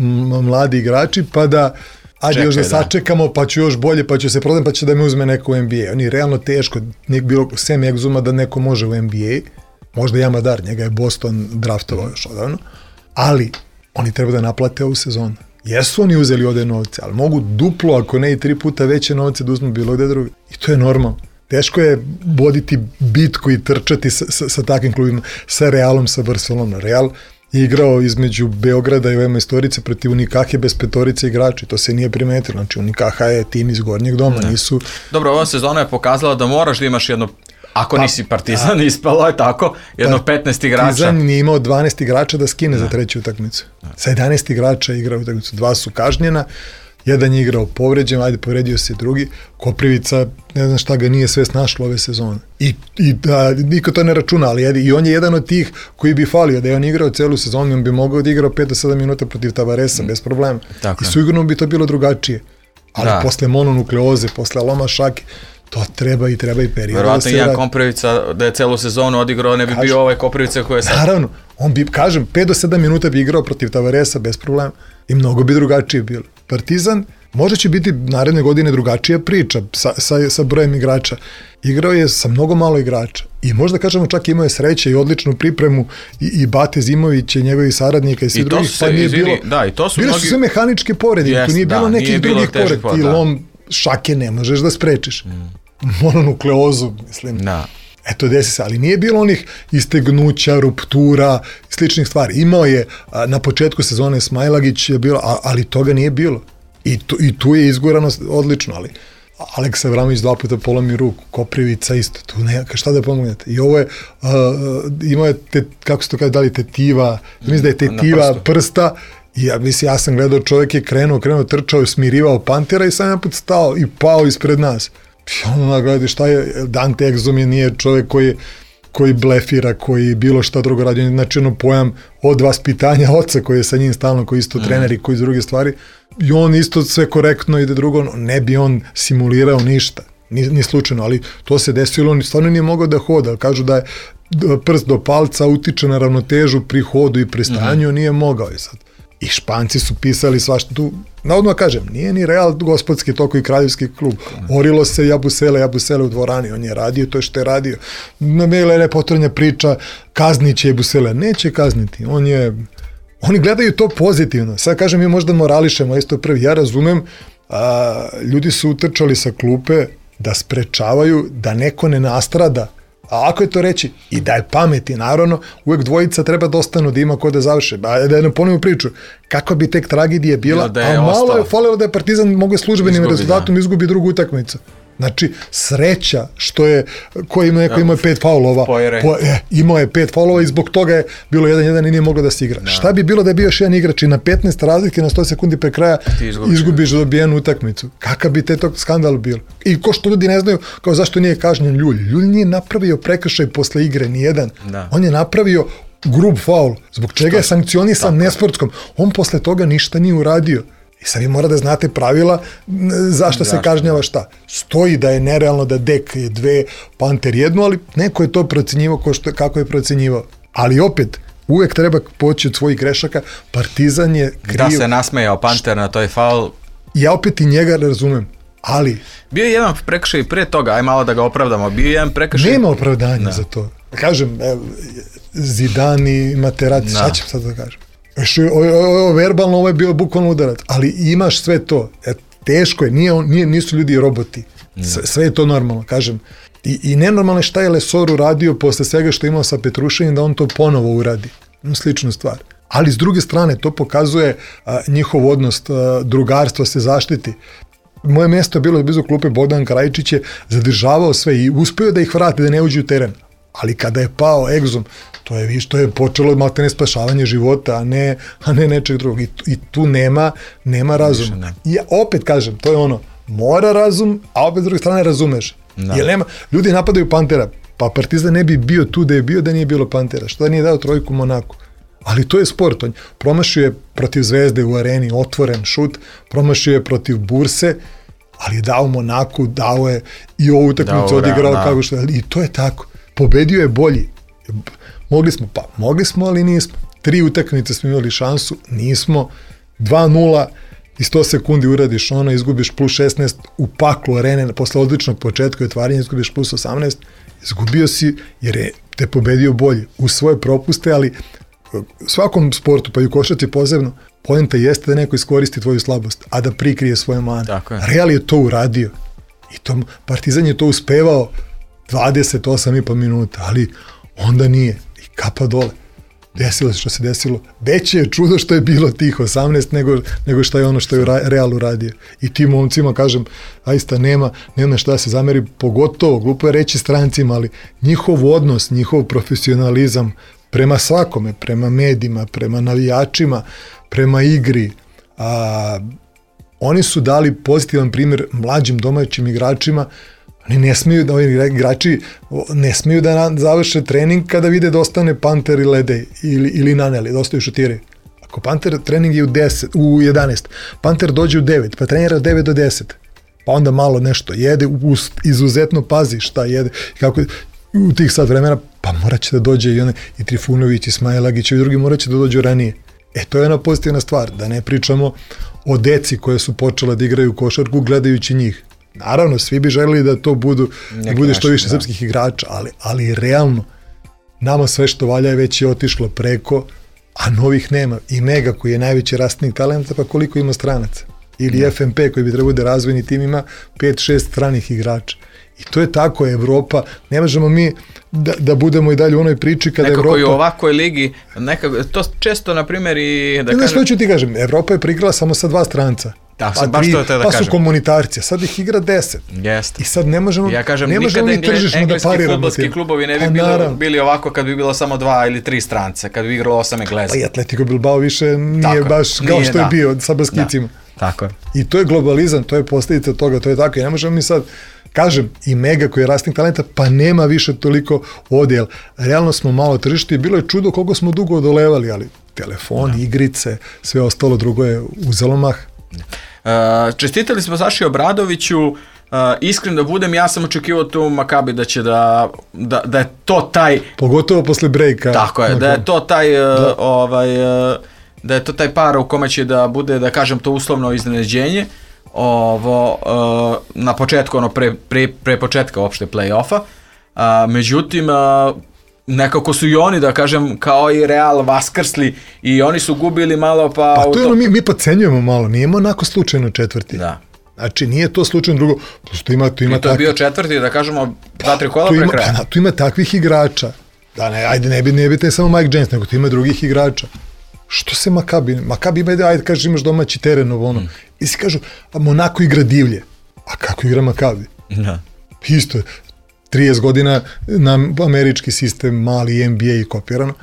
mladi igrači pa da ajde još da sačekamo, pa ću još bolje, pa ću se prodati, pa će da me uzme neko u NBA. Oni je realno teško, nije bilo sem egzuma da neko može u NBA, možda i Amadar, njega je Boston draftovao još odavno, ali oni treba da naplate ovu sezonu. Jesu oni uzeli ovde novce, ali mogu duplo, ako ne i 3 puta veće novce da uzmu bilo gde drugi. I to je normalno. Teško je voditi bitku i trčati sa takvim klubima, sa Realom, sa Barcelonom. Real je igrao između Beograda i Vema Istorice protiv Unikahe bez 5 igrača. To se nije primetilo. Znači Unikaha je tim iz Gornjeg doma. Nisu... Dobro, ova sezona je pokazala da moraš da imaš jedno, ako nisi Partizan, ispalo je tako, jedno 15 igrača. Partizan nije imao 12 igrača da skine za 3. utakmicu. Sa 11 igrača igrao utakmicu. 2 su kažnjena, jedan je igrao povređen, povredio se drugi. Koprivica, ne znam šta ga nije sve snašlo ove sezone. I niko to ne računa, ali i on je jedan od tih koji bi falio, da je on igrao celu sezonu, on bi mogao da igrao 5 do 7 minuta protiv Tavaresa, bez problema. I sigurno bi to bilo drugačije. Ali posle mononukleoze, posle loma šake, to treba i period. Verovatno jedan Koprivica da je celu sezonu odigrao, ne bi bio ovaj Koprivica koji je sad. Naravno, on bi, 5 do 7 minuta bi igrao protiv Tavaresa, bez problema. I mnogo bi drugačije bilo. Partizan možda će biti naredne godine drugačija priča sa brojem igrača. Igrao je sa mnogo malo igrača i možda kažemo čak imao je sreće i odličnu pripremu i Bate Zimović i njegovi saradnika i svi drugih, pa nije bilo. Da, i to su bile su sve mehaničke povrede, tu nije bilo nekih drugih povreda. Ti lom šake ne možeš da sprečiš. Mononukleozu, mislim. Eto, desi se, ali nije bilo onih istegnuća, ruptura, sličnih stvari. Imao je na početku sezone Smajlagić je bilo, ali toga nije bilo. I tu je izgurano odlično, ali Aleksa Avramović 2 puta polomi ruku, Koprivica isto, tu neka, šta da pomognete. I ovo je, imao je, kako se to kaže, da li tetiva, mislim da je tetiva prsta I ja sam gledao, čovjek je krenuo, trčao, smirivao Pantera i sam jedan put stao i pao ispred nas. I onda gledaj šta je, Dante Exum nije čovjek koji blefira, koji bilo šta drugo radi, znači ono pojam od vaspitanja oca koji je sa njim stalno, koji isto trener i koji iz druge stvari, i on isto sve korektno ide drugo, ne bi on simulirao ništa, ni slučajno, ali to se desilo, on stvarno nije mogao da hoda, kažu da je prst do palca utiče na ravnotežu pri hodu i pri stanju, nije mogao je sad. I Španci su pisali svašta tu, navodno kažem, nije ni Real gospodski toko i kraljevski klub. Orilo se Jabusele u dvorani, on je radio to što je radio. Bila je nepotrebna priča, kaznit će Jabusele. Neće kazniti, oni gledaju to pozitivno. Sad kažem, mi možda morališemo, isto prvi, ja razumem, ljudi su utrčali sa klupe da sprečavaju da neko ne nastrada. A ako je to reći, i da je pameti, naravno, uvek dvojica treba da ostanu, da ima ko da završe. Da ne ponovim priču, kakva bi tek tragedija bila, a malo je falilo da je Partizan mogu službenim rezultatom izgubi drugu utakmicu. Znači, sreća što je, neko imao je 5 faulova, imao je 5 faulova i zbog toga je bilo 1-1 i nije moglo da se igra. Šta bi bilo da je bio još jedan igrač i na 15 razlike na 100 sekundi pre kraja izgubiš dobijenu utakmicu? Kakav bi te tog skandal bilo? I ko što ljudi ne znaju, kao zašto nije kažnjen Ljulj. Ljulj nije napravio prekršaj posle igre, nijedan. On je napravio grub faul, zbog čega je sankcionisan nesportskom. On posle toga ništa nije uradio. I sad vi mora da znate pravila zašto se kažnjava šta. Stoji da je nerealno da Dek je 2, Panter 1, ali neko je to procenjivao kako je procenjivao. Ali opet, uvek treba poći od svojih grešaka, Partizan je kriv. Da se nasmejao Panter na toj faul. Ja opet i njega razumem, ali... Bio je jedan prekršaj prije toga, aj malo da ga opravdamo, bio je jedan prekršaj... Nema opravdanja za to. Kažem, Zidane, Materazzi, šta ćem sad da kažem? Verbalno ovo je bio bukvalno udarac, ali imaš sve to, teško je, nisu ljudi roboti, sve je to normalno, kažem, i nenormalno je šta je Lesor uradio posle svega što je imao sa Petruševim, da on to ponovo uradi, sličnu stvar, ali s druge strane to pokazuje njihov odnos, drugarstvo se zaštiti. Moje mjesto je bilo blizu klupe, Bogdan Krajičić je zadržavao sve i uspio da ih vrati, da ne uđu u teren, ali kada je pao Exum, to je počelo maltene spašavanje života, a ne nečeg drugog. I tu nema razuma. I ja opet kažem, to je ono, mora razum, a opet s druge strane razumeš. Jer ljudi napadaju Pantera, pa Partizan ne bi bio tu da je bio da nije bilo Pantera. Što da nije dao trojku Monaku? Ali to je sport. On promašio je protiv Zvezde u areni, otvoren šut, promašio je protiv Burse, ali je dao Monaku, dao je i ovu utakmicu odigrao kako što je. I to je tako. Pobedio je bolji. Mogli smo, ali nismo. 3 utakmice smo imali šansu, nismo. 2-0 i 100 sekundi uradiš ono, izgubiš plus 16 u paklu arene, posle odličnog početka i otvaranja izgubiš plus 18, izgubio si jer je te pobedio bolji u svoje propuste, ali svakom sportu, pa i u košarci posebno, poenta jeste da neko iskoristi tvoju slabost, a da prikrije svoje mane. Real je to uradio i Partizan je to uspevao 28,5 minuta, ali onda nije. I kapa dole. Desilo se što se desilo. Veće je čudo što je bilo tih 18 nego što je ono što je Real uradio. I tim momcima, kažem, zaista nema šta da se zameri, pogotovo, glupo je reći strancima, ali njihov odnos, njihov profesionalizam prema svakome, prema medijima, prema navijačima, prema igri, oni su dali pozitivan primjer mlađim domaćim igračima. Oni ne smiju da, igrači ne smiju da završe trening kada vide da ostane Panter i Ledej ili Naneli, da ostaju šutiri. Ako Panter trening je u 11, Panter dođe u 9, pa trenira od 9 do 10, pa onda malo nešto jede, izuzetno pazi šta jede, kako u tih sad vremena, pa morat će da dođe i Trifunović, i Smajlagić i drugi morat će da dođu ranije. To je ona pozitivna stvar, da ne pričamo o deci koje su počela da igraju košarku gledajući njih. Naravno, svi bi želeli da to bude što više srpskih igrača, ali realno, nama sve što valja je već otišlo preko, a novih nema. I Mega koji je najveći rastnik talenta, pa koliko ima stranaca? Ili FNP koji bi trebao da razvojni tim ima 5-6 stranih igrača. I to je tako, Evropa, ne možemo mi da budemo i dalje u onoj priči kada Evropa... Nekako i u ovakvoj ligi, to često, na primjer, i... Što ću ti kažem, Evropa je prigrala samo sa 2 stranca. pa su komunitarci, sad ih igra 10. Jeste. I sad ne možemo, ja kažem, ne možemo ni tržišno da pariramo. Engleski fudbalski klubovi ne bi bili ovako kad bi bilo samo 2 ili 3 strance, kad bi igralo 8 Engleza. Pa i Atletico Bilbao više nije baš kao što je bio sa Baskicima. Tako je. I to je globalizam, to je posljedica toga, to je tako. I ne možemo mi sad, kažem, i Mega koji je rasting talenta, pa nema više toliko ovdje, jer realno smo malo tržište i bilo je čudo koliko smo dugo odolevali, ali telefon, igrice, sve ostalo drugo je uzelo mah. Čestitali smo Saši Obradoviću, iskreno da budem, ja sam očekivao tu Makabi da će da je to taj... Pogotovo posle breaka. Tako je, da je to taj... da je to taj par u kome će da bude, da kažem, to uslovno iznenađenje na početku, pre početka uopšte play-offa. Međutim, nekako su i oni, da kažem, kao i Real vaskrsli i oni su gubili malo pa... Pa to je ono, mi podcenjujemo malo, nijemo onako slučajno četvrti. Da. Znači, nije to slučajno drugo, tu ima to je bio četvrti, da kažemo, 2-3 kola pre kraja. Tu ima takvih igrača, da ne bi te samo Mike James, nego tu ima drugih igrača. Što se Makabi ima, ajde kažeš imaš domaći teren ovo i si kažu, Monako igra divlje, a kako igra Makabi? Da. Isto je, 30 godina na američki sistem, mali NBA i kopirano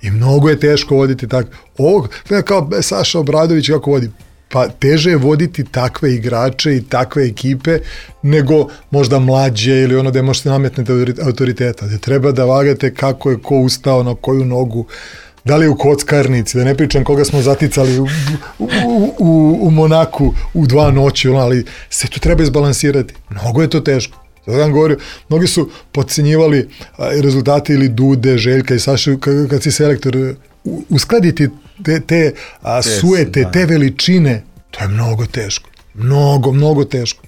i mnogo je teško voditi tako. Ovo, kao Saša Obradović kako vodi, pa teže je voditi takve igrače i takve ekipe nego možda mlađe ili ono da možete nametnete autoriteta, da treba da vagate kako je ko ustao na koju nogu, da li u kockarnici, da ne pričam koga smo zaticali u Monaku u 2 noći, ali se tu treba izbalansirati. Mnogo je to teško. Zato vam govorio, mnogi su podcenjivali rezultate ili Dude, Željka i Saša, kad si selektor, uskladiti te suete, te veličine, to je mnogo teško. Mnogo teško.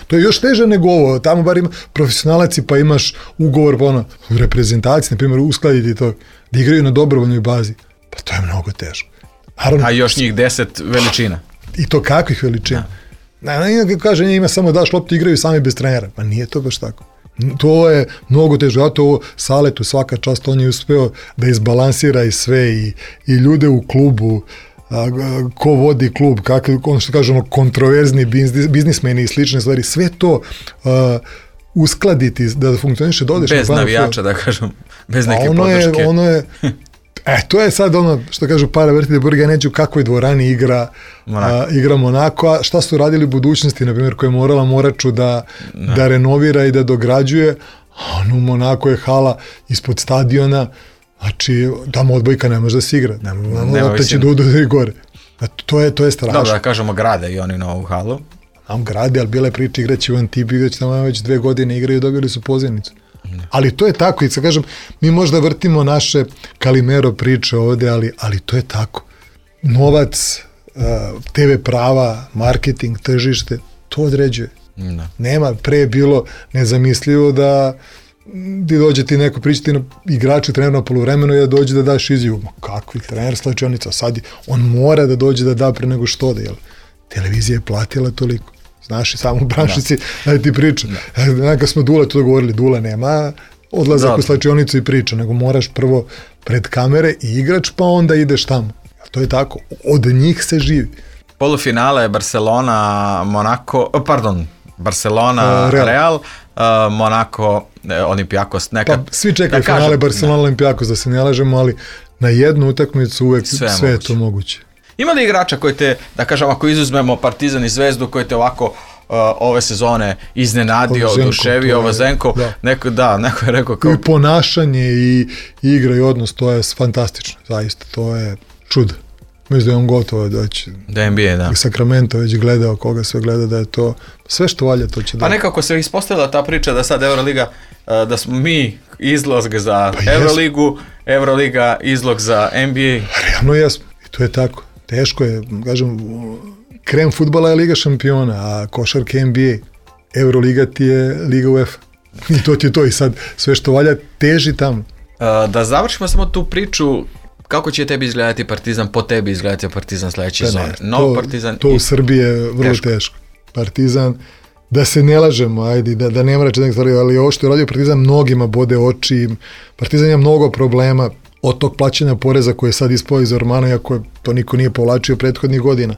To je još teže nego ovo, tamo bar ima profesionalaci pa imaš ugovor u reprezentaciji, na primjer, uskladiti to, da igraju na dobrovoljnoj bazi, pa to je mnogo teško. Naravno, a još njih 10 veličina. I to kakvih veličina? Kaže, ima samo daš loptu, igraju sami bez trenera, pa nije to baš tako. To je mnogo teže, zato ovo Saletu svaka čast, on je uspeo da izbalansira i sve i ljude u klubu, ko vodi klub, ono što kažemo kontroverzni biznismeni i slične stvari, sve to uskladiti da funkcioniše, da odeš bez navijača, da kažem, bez neke podrške. Ono je to je sad ono što kažu para vrtite burga, neću u kakvoj dvorani igra Monako, a šta su radili u budućnosti, na primjer, koja je morala Moraču da renovira i da dograđuje, a u Monako je hala ispod stadiona, znači tamo odbojka ne može da se igra, ne otaći da gore. To je strašno. Dobro, da kažemo, grade i oni novu halu. Nam grade, ali bila je priča igraći u Antibi, igraći tamo već 2 godine igraju i dobili su pozivnicu. Ali to je tako, i sad kažem, mi možda vrtimo naše Kalimero priče ovde, ali to je tako. Novac, TV prava, marketing, tržište, to određuje. Nema, pre je bilo nezamislivo da ti dođe ti neko pričati na igraču, trener na poluvremenu i da dođe da daš izjavu. Kakvi trener, slačionica, sad on mora da dođe da da pre nego što da, jel? Televizija je platila toliko. Znaš, i samo u branšici, da ti pričam. Kad smo Dule to govorili, Dule nema odlazak u slačionicu i priča, nego moraš prvo pred kamere i igrač, pa onda ideš tamo. To je tako. Od njih se živi. Polufinale Barcelona, Real, Monako, Olympiakos. Pa svi čekaju finale Barcelona, Olympiakos, da se ne lažemo, ali na jednu utakmicu uvek sve je to moguće. Ima li igrača koji te, da kažem, ako izuzmemo Partizan i Zvezdu, koji te ovako ove sezone iznenadio, oduševio, Vozenko, neko je rekao kao... I ponašanje i igra i odnos, to je fantastično, zaista, to je čudo. Mislim da je on gotovo doći. Da NBA, da. I Sacramento već gledao, koga sve gleda, da je to, sve što valja to će da... Pa nekako se ispostavila ta priča da sad Euroliga, da smo mi izlog za Euroligu, Euroliga izlog za NBA. Realno jesmo, i to je tako. Teško je, kažem, krem fudbala je Liga šampiona, a košarka NBA, Euroliga ti je Liga UEFA. I to ti je to, i sad sve što valja teži tamo. Da završimo samo tu priču, kako će tebi izgledati Partizan, po tebi izgledati Partizan sljedeće sezone? To u Srbiji je vrlo teško. Partizan, da se ne lažemo, ajde, da ne mrače neke stvari, ali ovo što je radio Partizan mnogima bode oči, Partizan ima mnogo problema, od tog plaćanja poreza koje je sad ispao iz Ormana, iako to niko nije povlačio prethodnih godina.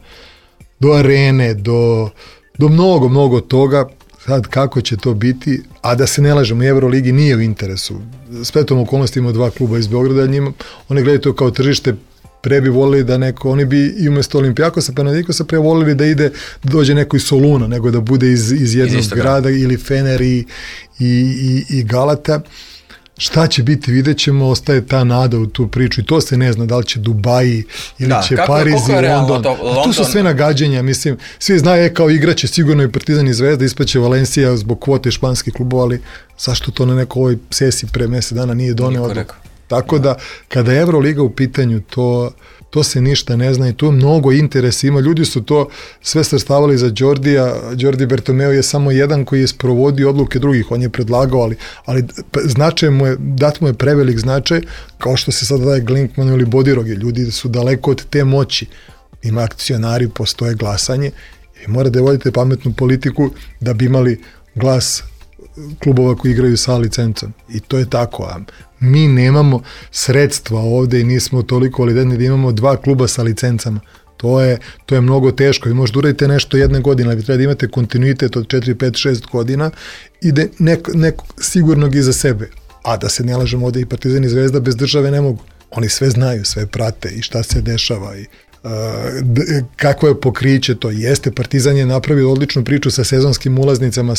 do arene, do mnogo toga. Sad kako će to biti, a da se ne lažemo, Euroligi nije u interesu. Spletom okolnosti ima 2 kluba iz Beograda, oni gledaju to kao tržište, pre bi volili da oni bi i umjesto Olimpijakosa, Panathinaikosa pre volili da dođe neko iz Soluna, nego da bude iz jednog grada, ili Fener i Galata. Šta će biti, vidjet ćemo, ostaje ta nada u tu priču i to se ne zna, da li će Dubaji ili će Pariz i London. Tu su sve nagađanja, mislim, svi znaju kao igraće sigurno i Partizan i Zvezda, ispaće Valencija zbog kvote španskih klubova, ali zašto to na nekoj ovoj sesiji pre mjesec dana nije doneo odluku? Tako da, kada je Euroliga u pitanju, to se ništa ne zna i tu mnogo interesa ima. Ljudi su to sve svrstavali za Đordija. Đordi Bertomeu je samo jedan koji je sprovodio odluke drugih. On je predlagao, ali značaj mu je, dat mu je prevelik značaj, kao što se sada daje Glinkmanu ili Bodirogi. Ljudi su daleko od te moći. Ima akcionari, postoje glasanje i morate da vodite pametnu politiku da bi imali glas klubova koji igraju sa licencom. I to je tako. A mi nemamo sredstva ovde i nismo toliko validni da imamo 2 kluba sa licencama. To je mnogo teško. Vi možete uraditi nešto jedne godine, ali vi treba da imate kontinuitet od 4, 5, 6 godina i da neko sigurnog iza sebe. A da se ne lažemo, ovde i Partizan i Zvezda bez države ne mogu. Oni sve znaju, sve prate i šta se dešava i kako je pokriće to. Jeste, Partizan je napravio odličnu priču sa sezonskim ulaznicama,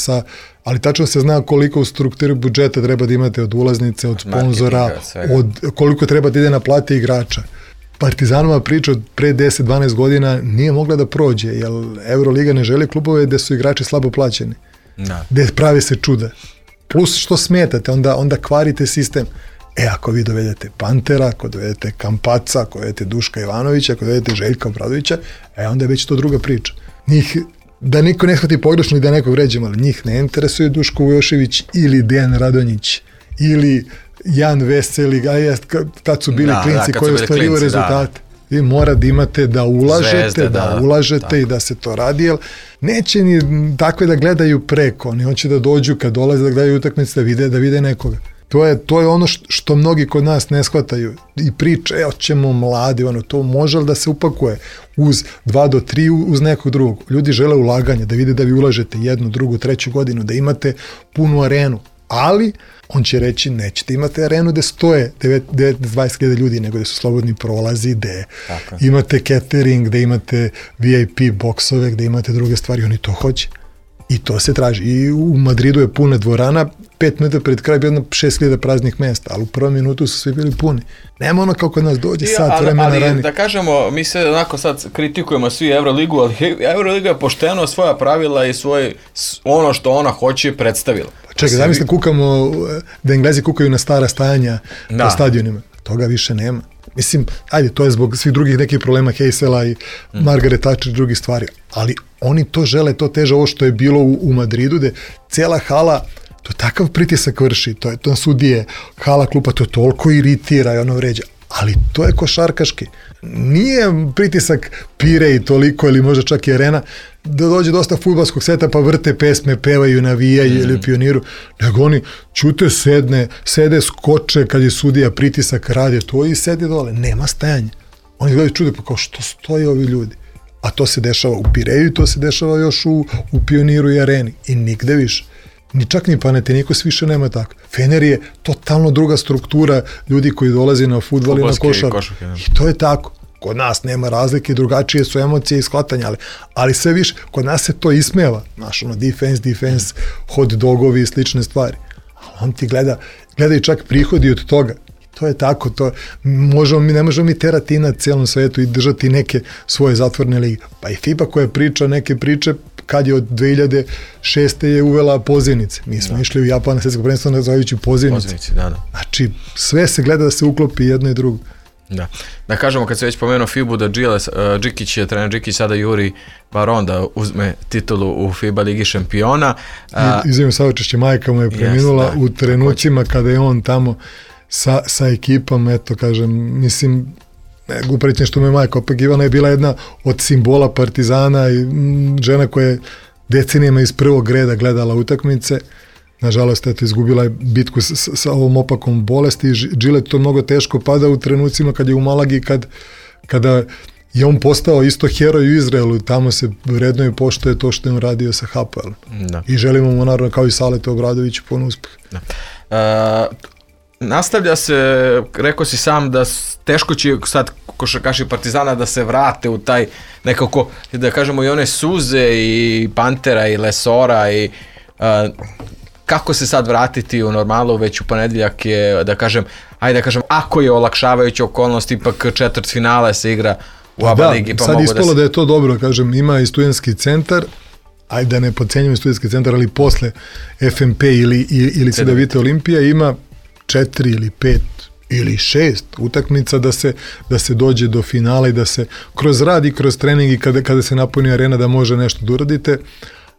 ali tačno se zna koliko u strukturi budžeta treba da imate od ulaznice, od sponzora, koliko treba da ide na plate igrača. Partizanova priča od pre 10-12 godina nije mogla da prođe, jer Euroliga ne želi klubove gde su igrači slabo plaćeni. Gde prave se čuda. Plus što smetate, onda kvarite sistem. Ako vi dovedete Pantera, ako dovedete Kampaca, ako dovedete Duška Ivanovića, ako dovedete Željka Obradovića, onda je već to druga priča. Njih, da niko ne shvati pogrešno i da nekog vređemo, ali njih ne interesuje Duško Vujošević ili Dejan Radonjić ili Jan Veseli, kad su bili klinci koji ostvaruju rezultate. Vi mora da imate da ulažete, i da se to radi, jer neće ni takve da gledaju preko, oni hoće da dođu kad dolaze da gledaju utakmice, da vide nekoga. To je ono što mnogi kod nas ne shvataju i priče, hoćemo mladi, to može da se upakuje uz 2 do 3 uz nekog drugog. Ljudi žele ulaganja, da vide da vi ulažete 1, 2, 3 godinu, da imate punu arenu, ali on će reći nećete imati arenu gde stoje 20.000 ljudi, nego gde su slobodni prolazi, gde imate catering, gde imate VIP boksove, gde imate druge stvari, oni to hoće. I to se traži. I u Madridu je puna dvorana, 5 minuta pred kraj bilo 6.000 praznih mesta, ali u prvom minutu su svi bili puni. Nema ono kao kod nas dođe sat vremena ranije. Ali da kažemo, mi se onako sad kritikujemo svi Euroligu, ali Euroliga je pošteno svoja pravila i ono što ona hoće predstavila. Čekaj, zamislim da Englezi kukaju na stara stajanja po stadionima. Toga više nema. Mislim, to je zbog svih drugih nekih problema Heysela i Margaret Thatcher i drugih stvari, ali oni to žele, to teže ovo što je bilo u Madridu, gde cijela hala, to takav pritisak vrši, to sudije, hala klupa, to toliko iritira i ono vređa, ali to je košarkaški. Nije pritisak pire i toliko, ili možda čak i arena, da dođe dosta fudbalskog seta pa vrte pesme, pevaju, navijaju ili u Pioniru, nego oni ćute, sede, skoče kad je sudija, pritisak rade to i sede dole, nema stajanja. Oni gledaju čude pa kao što stoje ovi ljudi. A to se dešava u Pireju, to se dešava još u Pioniru i areni i nigde više. Čak ni Panathinaikos više nema tako. Fener je totalno druga struktura ljudi koji dolaze na fudbal i na košarku. I to je tako. Kod nas nema razlike, drugačije su emocije i shvatanja, ali sve više, kod nas se to ismeva. Znaš, defense, hot dogovi i slične stvari. Ali on ti gleda i čak prihodi od toga. To je tako, ne možemo mi terati na cijelom svetu i držati neke svoje zatvorne lige. Pa i FIBA koja priča neke priče, kad je od 2006. je uvela pozivnice. Mi smo išli u Japan na svjetsko prvenstvo nazvajući pozivnice. Znači, sve se gleda da se uklopi jedno i drugo. Da kažemo, kad se već pomenuo FIBU, da trener Džikić sada juri Baron da uzme titulu u FIBA Ligi šampiona. Izvim saučešće, majka mu je preminula u trenucima kada je on tamo sa ekipom, eto kažem, mislim, uprećen što mu je majka, opet Ivana je bila jedna od simbola Partizana i žena koja je decenijama iz prvog reda gledala utakmice. Nažalost, eto, izgubila je bitku sa ovom opakom bolesti i Džilet to mnogo teško pada u trenucima kad je u Malagi, kada je on postao isto heroj u Izraelu, tamo se vredno i poštuje to što je on radio sa Hapoelom. I želimo mu naravno kao i Saleta Obradoviću puno uspeh. Nastavlja se, rekao si sam da teško će sad košarkaši Partizana da se vrate u taj nekako, da kažemo i one suze i Pantera i Lesora i kako se sad vratiti u normalu, već u ponedjeljak je, da kažem, ako je olakšavajuća okolnost, ipak četvrtfinale se igra u ABA ligi. Pa sad ispalo da je to dobro, kažem, ima i studentski centar, ajde da ne podcenjujem studentski centar, ali posle FNP ili Cedevita Olimpija ima 4 ili 5 ili 6 utakmica da se dođe do finala i da se kroz rad i kroz trening i kada se napuni arena da može nešto da uradite.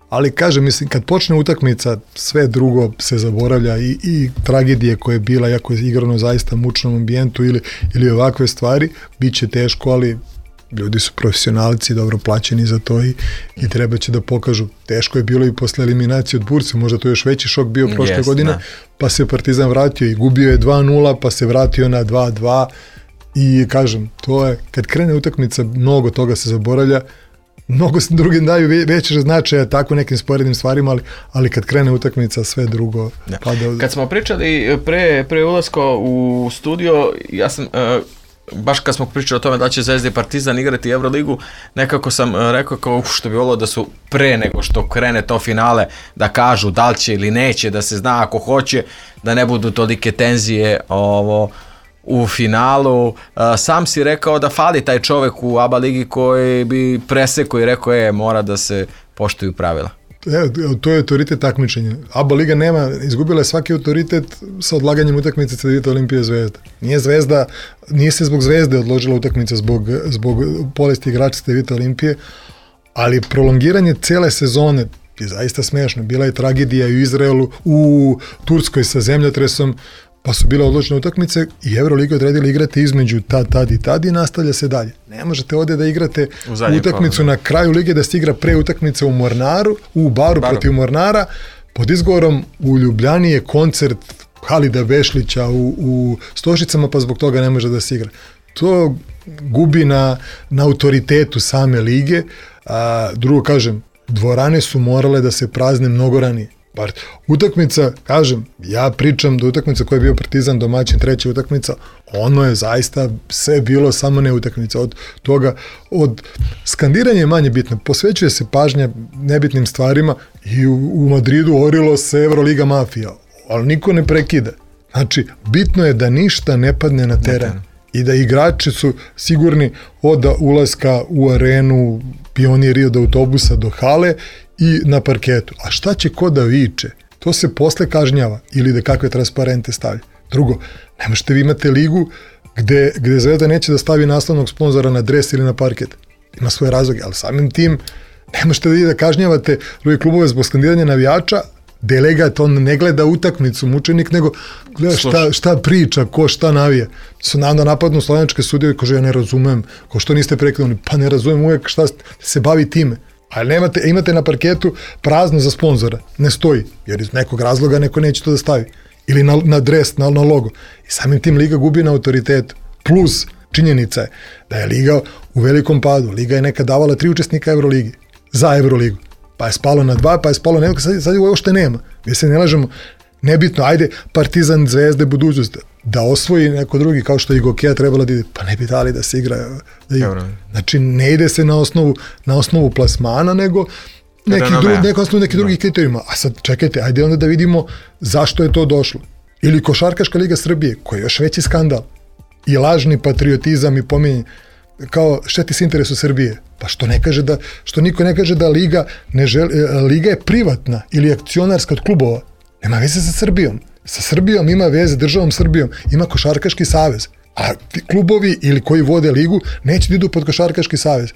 Ali kažem, mislim, kad počne utakmica, sve drugo se zaboravlja i tragedije koje je bila, jako je igrano zaista mučnom ambijentu ili ovakve stvari, bit će teško, ali ljudi su profesionalci, dobro plaćeni za to i treba će da pokažu. Teško je bilo i posle eliminacije od Burse, možda to još veći šok bio prošle godine, pa se Partizan vratio i gubio je 2-0, pa se vratio na 2-2 i kažem, to je, kad krene utakmica, mnogo toga se zaboravlja, mnogo se drugi daju veće značaja tako nekim sporednim stvarima, ali kad krene utakmica sve drugo pada. Kad smo pričali pre ulaska u studio, ja sam baš kad smo pričali o tome da će Zvezda i Partizan igrati Euroligu, nekako sam rekao kao što bi volio da su pre nego što krene to finale da kažu da li će ili neće, da se zna ako hoće, da ne budu tolike tenzije u finalu. Sam si rekao da fali taj čovek u ABA ligi koji bi presekao i rekao mora da se poštuju pravila. To je autoritet takmičenja. ABA liga izgubila je svaki autoritet sa odlaganjem utakmice Cedevita Olimpija Zvezda. Nije se zbog Zvezde odložila utakmica zbog bolesti igrača Cedevita Olimpije, ali prolongiranje cele sezone je zaista smešno. Bila je tragedija u Izraelu, u Turskoj sa zemljotresom, pa su bile odložene utakmice i Euroliga odredila igrati između tad i nastavlja se dalje. Ne možete ovdje da igrate utakmicu na kraju lige, da se igra pre utakmice u Baru protiv Mornara, pod izgovorom u Ljubljani je koncert Halida Bešlića u Stošicama, pa zbog toga ne može da se igra. To gubi na autoritetu same lige. Drugo kažem, dvorane su morale da se prazne mnogo ranije. Utakmica, kažem, ja pričam da utakmica koja je bio Partizan domaćin, treća utakmica, ono je zaista sve bilo samo ne utakmica. Od toga, od skandiranja je manje bitno, posvećuje se pažnja nebitnim stvarima i u Madridu orilo se Euroliga mafija, ali niko ne prekida. Znači, bitno je da ništa ne padne na teren i da igrači su sigurni od ulaska u arenu, pioniri od autobusa do hale i na parketu. A šta će ko da viče? To se posle kažnjava ili da kakve transparente stavlja. Drugo, ne možete vi imate ligu gde Zvezda neće da stavi naslovnog sponzora na dres ili na parket. Ima svoje razloge, ali samim tim ne možete da kažnjavate druge klubove zbog skandiranja navijača, delegat, on ne gleda utakmicu, mučenik, nego gleda šta priča, ko šta navija. Su onda napadnu slovenačke sudije i kaže, ja ne razumem, ko što niste prekrenuli, pa ne razumem uvek šta se bavi time. Ali imate na parketu prazno za sponzora, ne stoji, jer iz nekog razloga neko neće to da stavi. Ili na dres, na logo. I samim tim liga gubi na autoritetu. Plus, činjenica je da je liga u velikom padu. Liga je nekad davala 3 učesnika Euroligi, za Euroligu. Pa je spalo na 2, pa je spalo na sad je ovo što nema. Mi se ne lažemo, nebitno, ajde Partizan, Zvezde, budućnost, da osvoji neko drugi, kao što i Gokeja trebala da ide, pa ne bi dali da se igra. Znači, ne ide se na osnovu plasmana, nego neki drugi kriterijima. A sad, čekajte, ajde onda da vidimo zašto je to došlo. Ili Košarkaška liga Srbije, koja je još veći skandal. I lažni patriotizam i pominjanje. Kao šteti se interesu Srbije. Pa što niko ne kaže da liga ne želi, liga je privatna ili akcionarska od klubova. Nema veze sa Srbijom. Sa Srbijom ima veze, državom Srbijom, ima Košarkaški savez. A klubovi ili koji vode ligu neće da idu pod Košarkaški savez.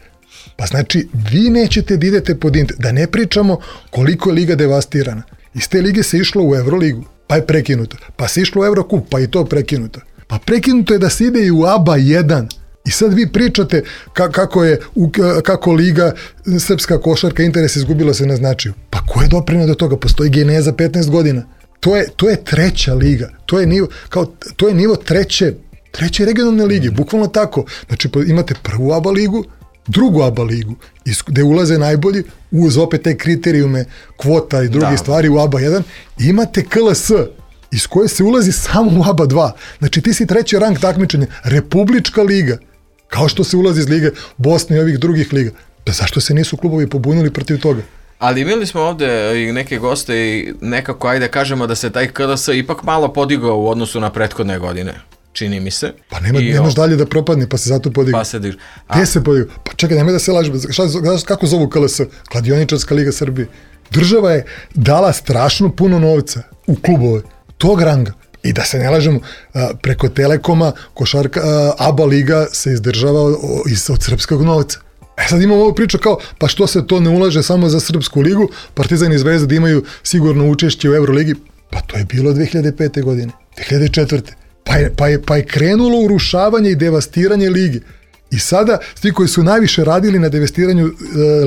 Pa znači, vi nećete da idete pod da ne pričamo koliko je liga devastirana. Iz te lige se išlo u Euroligu, pa je prekinuto. Pa se išlo u Eurocup, pa i to prekinuto. Pa prekinuto je da se ide i u ABA 1. I sad vi pričate kako liga srpska košarka interes izgubila se na značaju. Pa ko je doprineo do toga? Postoji geneza 15 godina. To je treća liga. To je nivo treće regionalne lige, bukvalno tako. Znači imate prvu ABA ligu, drugu ABA ligu, gde ulaze najbolji, uz opet te kriterijume, kvota i druge stvari u ABA 1, imate KLS, iz koje se ulazi samo u ABA 2. Znači ti si treći rang takmičenja, Republička liga, kao što se ulazi iz lige Bosne i ovih drugih liga. Da zašto se nisu klubovi pobunili protiv toga? Ali imali smo ovde i neke goste i nekako, ajde kažemo da se taj KLS ipak malo podigao u odnosu na prethodne godine. Čini mi se. Pa nemaš dalje da propadne, pa se zato podigao. Pa se diže. Gde se podigao? Pa čekaj, nemoj da se lažemo. Kako zovu KLS? Kladioničarska liga Srbije. Država je dala strašno puno novca u klubove tog ranga. I da se ne lažemo, preko Telekoma ABA liga se izdržava od srpskog novca. Sad imamo ovu priču kao, pa što se to ne ulaže samo za Srpsku ligu, Partizan i Zvezda da imaju sigurno učešće u Euroligi, pa to je bilo 2005. godine, 2004. Pa je krenulo urušavanje i devastiranje lige. I sada, svi koji su najviše radili na devastiranju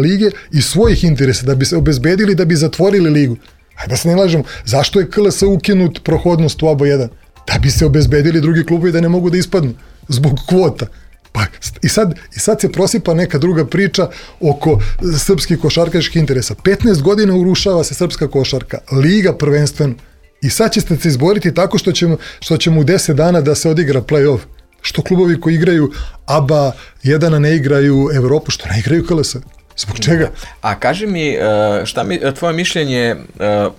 lige iz svojih interesa, da bi se obezbedili, da bi zatvorili ligu. Ajde da se ne lažemo, zašto je KLS ukinut prohodnost u ABA 1? Da bi se obezbedili drugi klubovi da ne mogu da ispadnu zbog kvota. Pa i sad se prosipa neka druga priča oko srpskih košarkaških interesa. 15 godina urušava se srpska košarka, liga prvenstveno. I sad ćete se izboriti tako što ćemo u 10 dana da se odigra play-off. Što klubovi koji igraju ABA 1 ne igraju Evropu, što ne igraju KLS? Zbog čega? A kaži mi, tvoje mišljenje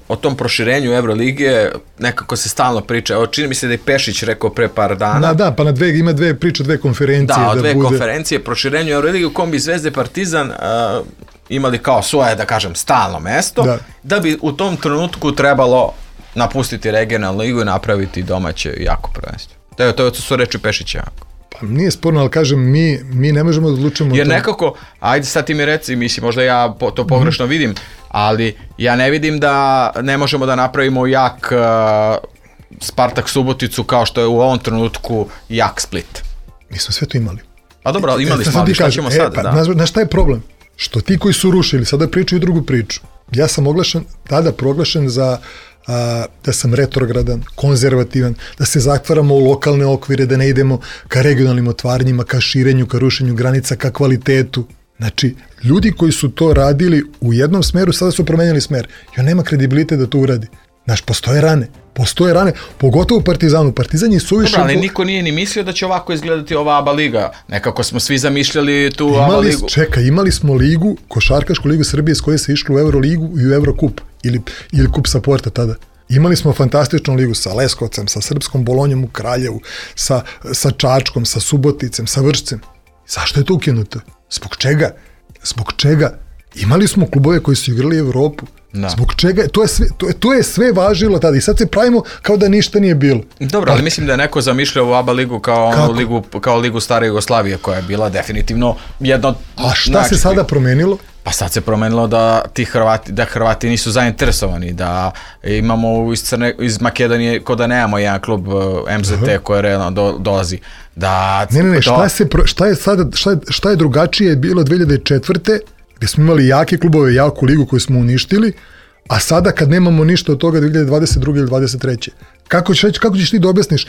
o tom proširenju Evrolige, nekako se stalno priča, čini mi se da je Pešić rekao pre par dana. Da, pa ima dve priče, dve konferencije. Da, dve konferencije, proširenju Evrolige u kom bi Zvezda i Partizan imali kao svoje, da kažem, stalno mesto, da bi u tom trenutku trebalo napustiti regionalnu ligu i napraviti domaće jako prvenstvo. To su reči Pešića. Pa nije sporno, ali kažem, mi ne možemo da odlučimo. Jer nekako, ajde sad ti mi reci, mislim, možda ja to pogrešno vidim, ali ja ne vidim da ne možemo da napravimo jak Spartak Suboticu kao što je u ovom trenutku jak Split. Mi smo sve to imali. Pa dobro, imali smo, ali šta ćemo sad? Znaš šta je problem? Što ti koji su rušili, sada pričaju drugu priču. Ja sam tada proglašen za da sam retrogradan, konzervativan, da se zatvaramo u lokalne okvire, da ne idemo ka regionalnim otvaranjima, ka širenju, ka rušenju granica, ka kvalitetu. Znači, ljudi koji su to radili u jednom smeru, sada su promenjali smer. I on nema kredibilite da to uradi. Znaš, postoje rane, pogotovo u Partizanu. Partizan je suviše... Dobro, ali niko nije ni mislio da će ovako izgledati ova ABA liga. Nekako smo svi zamišljali tu ABA ligu. Imali smo ligu, košarkašku ligu Srbije s koje se išlo u Euroligu i u Eurokup. Ili kup sa Porta tada. Imali smo fantastičnu ligu sa Leskovcem, sa Srpskom Bolonjom u Kraljevu, sa Čačkom, sa Suboticem, sa Vršcem. Zašto je to ukinuto? Zbog čega? Imali smo klubove koji su igrali Evropu. Zbog čega? To je sve važilo tada i sad se pravimo kao da ništa nije bilo. Dobro, ali mislim da je neko zamišljao ovu ABA ligu kao ligu stare Jugoslavije, koja je bila definitivno jedna od... A šta se sada promenilo? Pa sad se promenilo da Hrvati nisu zainteresovani, da imamo iz Makedonije, ko da nemamo jedan klub MZT koji realno dolazi. Šta je drugačije bilo 2004. gdje smo imali jake klubove, jaku ligu koju smo uništili, a sada kad nemamo ništa od toga 2022. ili 2023. Kako ćeš ti da objasniš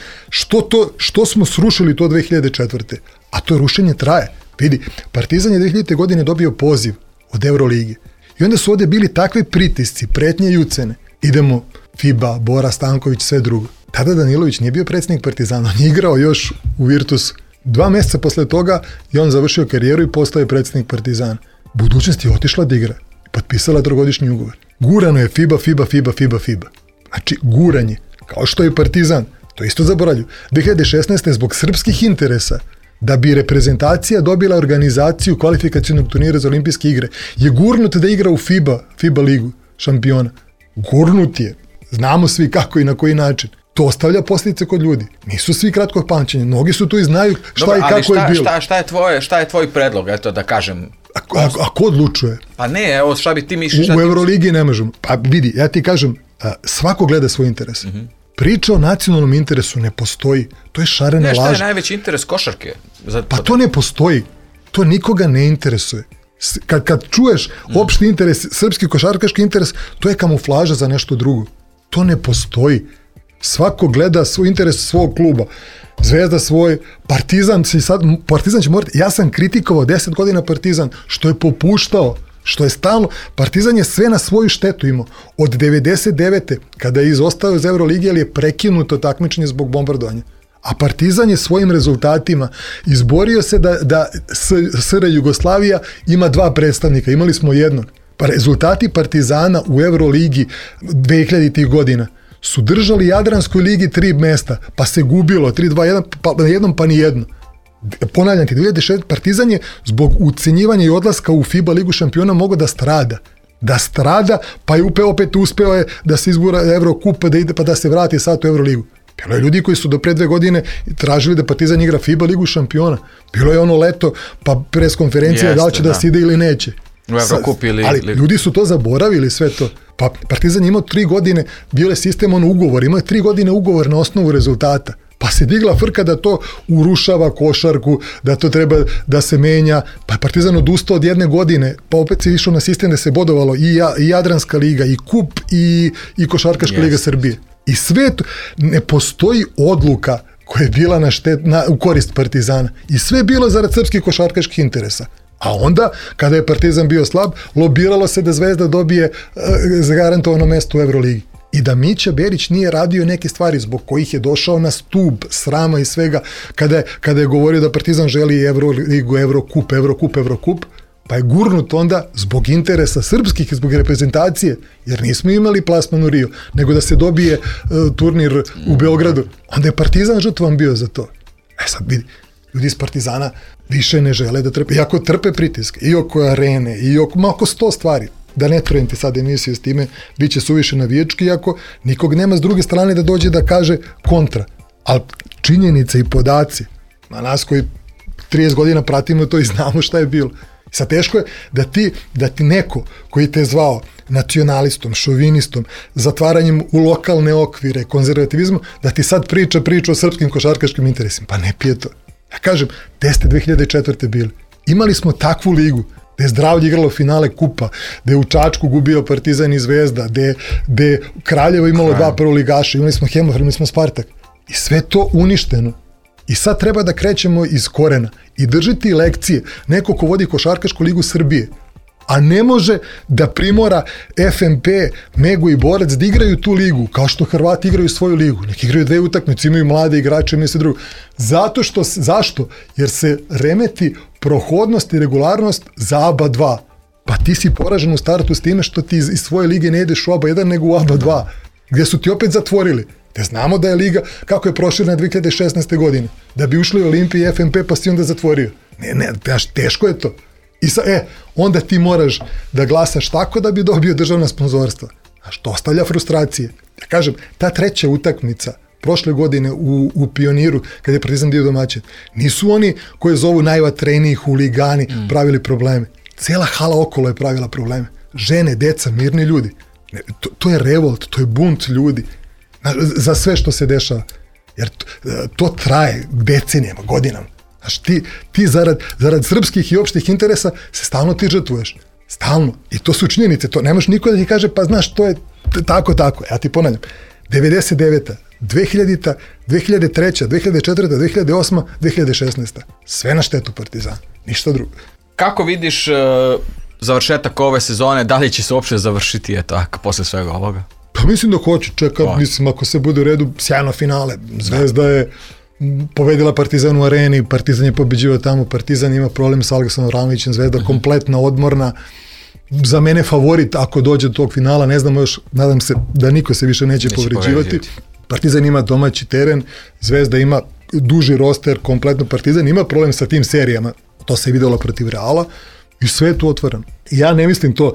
što smo srušili to 2004. A to rušenje traje. Vidi, Partizan je 2000. godine dobio poziv od Euroligi. I onda su ovdje bili takve pritisci, pretnje i ucene. Idemo FIBA, Bora Stanković, sve drugo. Tada Danilović nije bio predsjednik Partizana, on je igrao još u Virtusu. 2 mjeseca posle toga je on završio karijeru i postao je predsjednik Partizana. Budućnost je otišla da igra i potpisala 3-godišnji ugovor. Gurano je FIBA. Znači, guranje. Kao što je Partizan. To isto zaboravlju. 2016. zbog srpskih interesa, da bi reprezentacija dobila organizaciju kvalifikacionog turnira za olimpijske igre, je gurnut da igra u FIBA ligu šampiona. Gurnut je. Znamo svi kako i na koji način. To ostavlja posljedice kod ljudi. Nisu svi kratkog pamćenja. Mnogi su tu i znaju šta i kako je bilo. Šta je tvoj predlog, eto da kažem? A ko odlučuje? Pa ne, evo šta bi ti misliš? U Euroligi ne možemo. Pa vidi, ja ti kažem, svako gleda svoj interes. Priča o nacionalnom interesu ne postoji. To je šarena laž. Šta je najveći interes košarke? Pa to ne postoji. To nikoga ne interesuje. Kad čuješ opšti interes, srpski košarkaški interes, to je kamuflaža za nešto drugo. To ne postoji. Svako gleda svoj interes svog kluba. Zvezda svoj, Partizan će morati, ja sam kritikovao 10 godina Partizan, što je popuštao, što je stalno, Partizan je sve na svoju štetu imao. Od 99. kada je izostao iz Euroligi, ali je prekinuto takmičenje zbog bombardovanja. A Partizan je svojim rezultatima izborio se da SR Jugoslavija ima 2 predstavnika, imali smo jednog. Pa rezultati Partizana u Euroligi 2000. godina su držali Jadranskoj ligi 3 mesta, pa se gubilo 3-2-1, pa na jednom pa ni jedno. Ponavljam ti, 2006. Partizan je zbog ucenjivanja i odlaska u FIBA ligu šampiona mogao da strada, pa je opet uspeo je da se izgura Evrokup, pa da ide, pa da se vrati sad u Euroligu. Bilo je ljudi koji su do pre 2 godine tražili da Partizan igra FIBA ligu šampiona. Bilo je ono leto, pa preskonferencija da li će da se ide ili neće. U Evrokup ili... Ali ljudi su to zaboravili sve to. Pa Partizan je imao 3 godine, bio je sistem ugovor, imao je 3 godine ugovor na osnovu rezultata. Pa se digla frka da to urušava košarku, da to treba da se menja, pa je Partizan odustao od 1 godine, pa opet se išao na sistem da se bodovalo i Jadranska liga, i Kup, i Košarkaška liga Srbije. I sve to, ne postoji odluka koja je bila u korist Partizana. I sve je bilo zarad srpskih košarkaških interesa. A onda, kada je Partizan bio slab, lobiralo se da Zvezda dobije zagarantovano mesto u Euroligi. I da Mića Berić nije radio neke stvari zbog kojih je došao na stub srama i svega, kada je govorio da Partizan želi Euroligu, Evrokup, pa je gurnut onda zbog interesa srpskih i zbog reprezentacije, jer nismo imali plasman u Rio, nego da se dobije turnir u Beogradu. Onda je Partizan žrtvan bio za to. Sad vidi, ljudi iz Partizana više ne žele da trpe, iako trpe pritiske, i oko arene, i oko 100 stvari. Da ne trujem ti sad emisiju s time, bit će suviše navijački, iako nikog nema s druge strane da dođe da kaže kontra. Ali činjenice i podaci, na nas koji 30 godina pratimo to i znamo šta je bilo. Sad teško je da ti neko koji te je zvao nacionalistom, šovinistom, zatvaranjem u lokalne okvire, konzervativizmom, da ti sad priča o srpskim košarkaškim interesima. Pa ne pije to. Ja kažem, gde ste 2004. bili? Imali smo takvu ligu, gde je Zdravlje igralo finale Kupa, gde je u Čačku gubio Partizan i Zvezda, gde je Kraljevo imalo 2 prvoligaša, imali smo Hemofarm, imali smo Spartak. I sve to uništeno. I sad treba da krećemo iz korena i držiti lekcije. Neko ko vodi Košarkašku ligu Srbije, a ne može da primora FNP, Megu i Borac da igraju tu ligu, kao što Hrvati igraju svoju ligu. Neki igraju 2 utakmice, imaju mlade igrače, imaju sve drugo. Zašto? Jer se remeti prohodnost i regularnost za ABA 2. Pa ti si poražen u startu s time što ti iz svoje lige ne ideš u ABA 1 nego u ABA 2, gdje su ti opet zatvorili. Te znamo da je liga, kako je proširena 2016. godine, da bi ušli u Olimpiji i FNP pa si onda zatvorio. Teško je to. I onda ti moraš da glasaš tako da bi dobio državna sponzorstva. To ostavlja frustracije. Ja kažem, ta 3. utakmica prošle godine u Pioniru, kada je Partizan bio domaćin, nisu oni koji zovu najvatreniji huligani pravili probleme. Cela hala okolo je pravila probleme. Žene, deca, mirni ljudi. To je revolt, to je bunt ljudi. Za sve što se dešava. Jer to traje decenijama, godinama. Znaš, ti zarad srpskih i opštih interesa se stalno ti žrtvuješ. Stalno. I to su činjenice. To nemaš niko da ti kaže, pa znaš, to je tako. Ja ti ponavljam. 99. 2000. 2003. 2004. 2008. 2016. Sve na štetu Partizana. Ništa drugo. Kako vidiš završetak ove sezone? Da li će se uopšte završiti posle svega ovoga? Pa mislim da hoće. Mislim, ako se bude u redu, sjajno finale. Zvezda je pobedila Partizan u areni, Partizan je pobeđivao tamo, Partizan ima problem sa Aleksom Avramovićem, Zvezda kompletna, odmorna. Za mene favorit ako dođe do tog finala, ne znamo još, nadam se da niko se više neće povređivati. Partizan ima domaći teren, Zvezda ima duži roster, kompletno Partizan ima problem sa tim serijama, to se je videlo protiv Reala i sve je tu otvoreno. Ja ne mislim to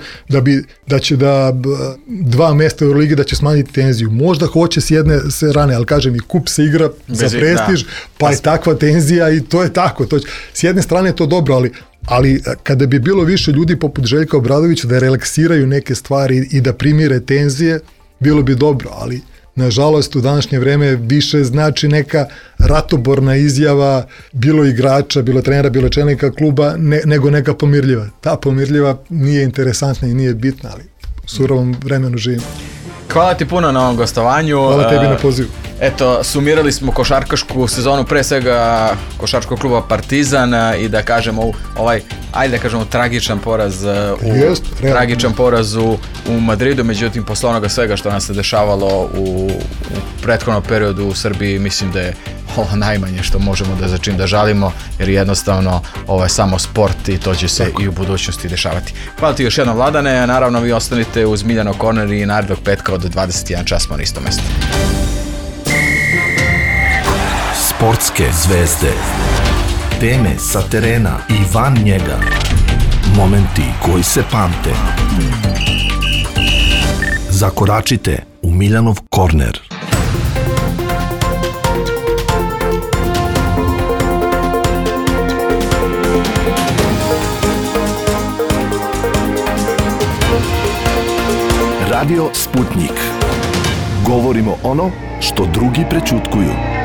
da će 2 mesta u Euroligi da će smanjiti tenziju. Možda hoće s jedne strane, ali kažem i kup se igra za prestiž, pa je takva tenzija i to je tako. S jedne strane je to dobro, ali kada bi bilo više ljudi poput Željka Obradovića da relaksiraju neke stvari i da primire tenzije, bilo bi dobro, ali nažalost u današnje vreme više znači neka ratoborna izjava, bilo igrača, bilo trenera, bilo čelnika kluba, nego neka pomirljiva. Ta pomirljiva nije interesantna i nije bitna, ali u surovom vremenu živimo. Hvala ti puno na ovom gostovanju. Hvala tebi na pozivu. Eto, sumirali smo košarkašku sezonu, pre svega košarkaškog kluba Partizan i da kažemo ajde da kažemo tragičan poraz tragičan poraz u Madridu, međutim posle onoga svega što nas se dešavalo u prethodnom periodu u Srbiji, mislim da je ovo najmanje što možemo za čim da žalimo, jer jednostavno ovo je samo sport i to će se i u budućnosti dešavati. Hvala ti još jednom, Vladane, naravno vi ostanite uz Miljanov korner i narednog petka od 21 čas smo na istom mestu. Sportske zvezde, teme sa terena i van njega, momenti koji se pamte. Zakoračite u Miljanov korner. Radio Sputnik. Govorimo ono što drugi prećutkuju.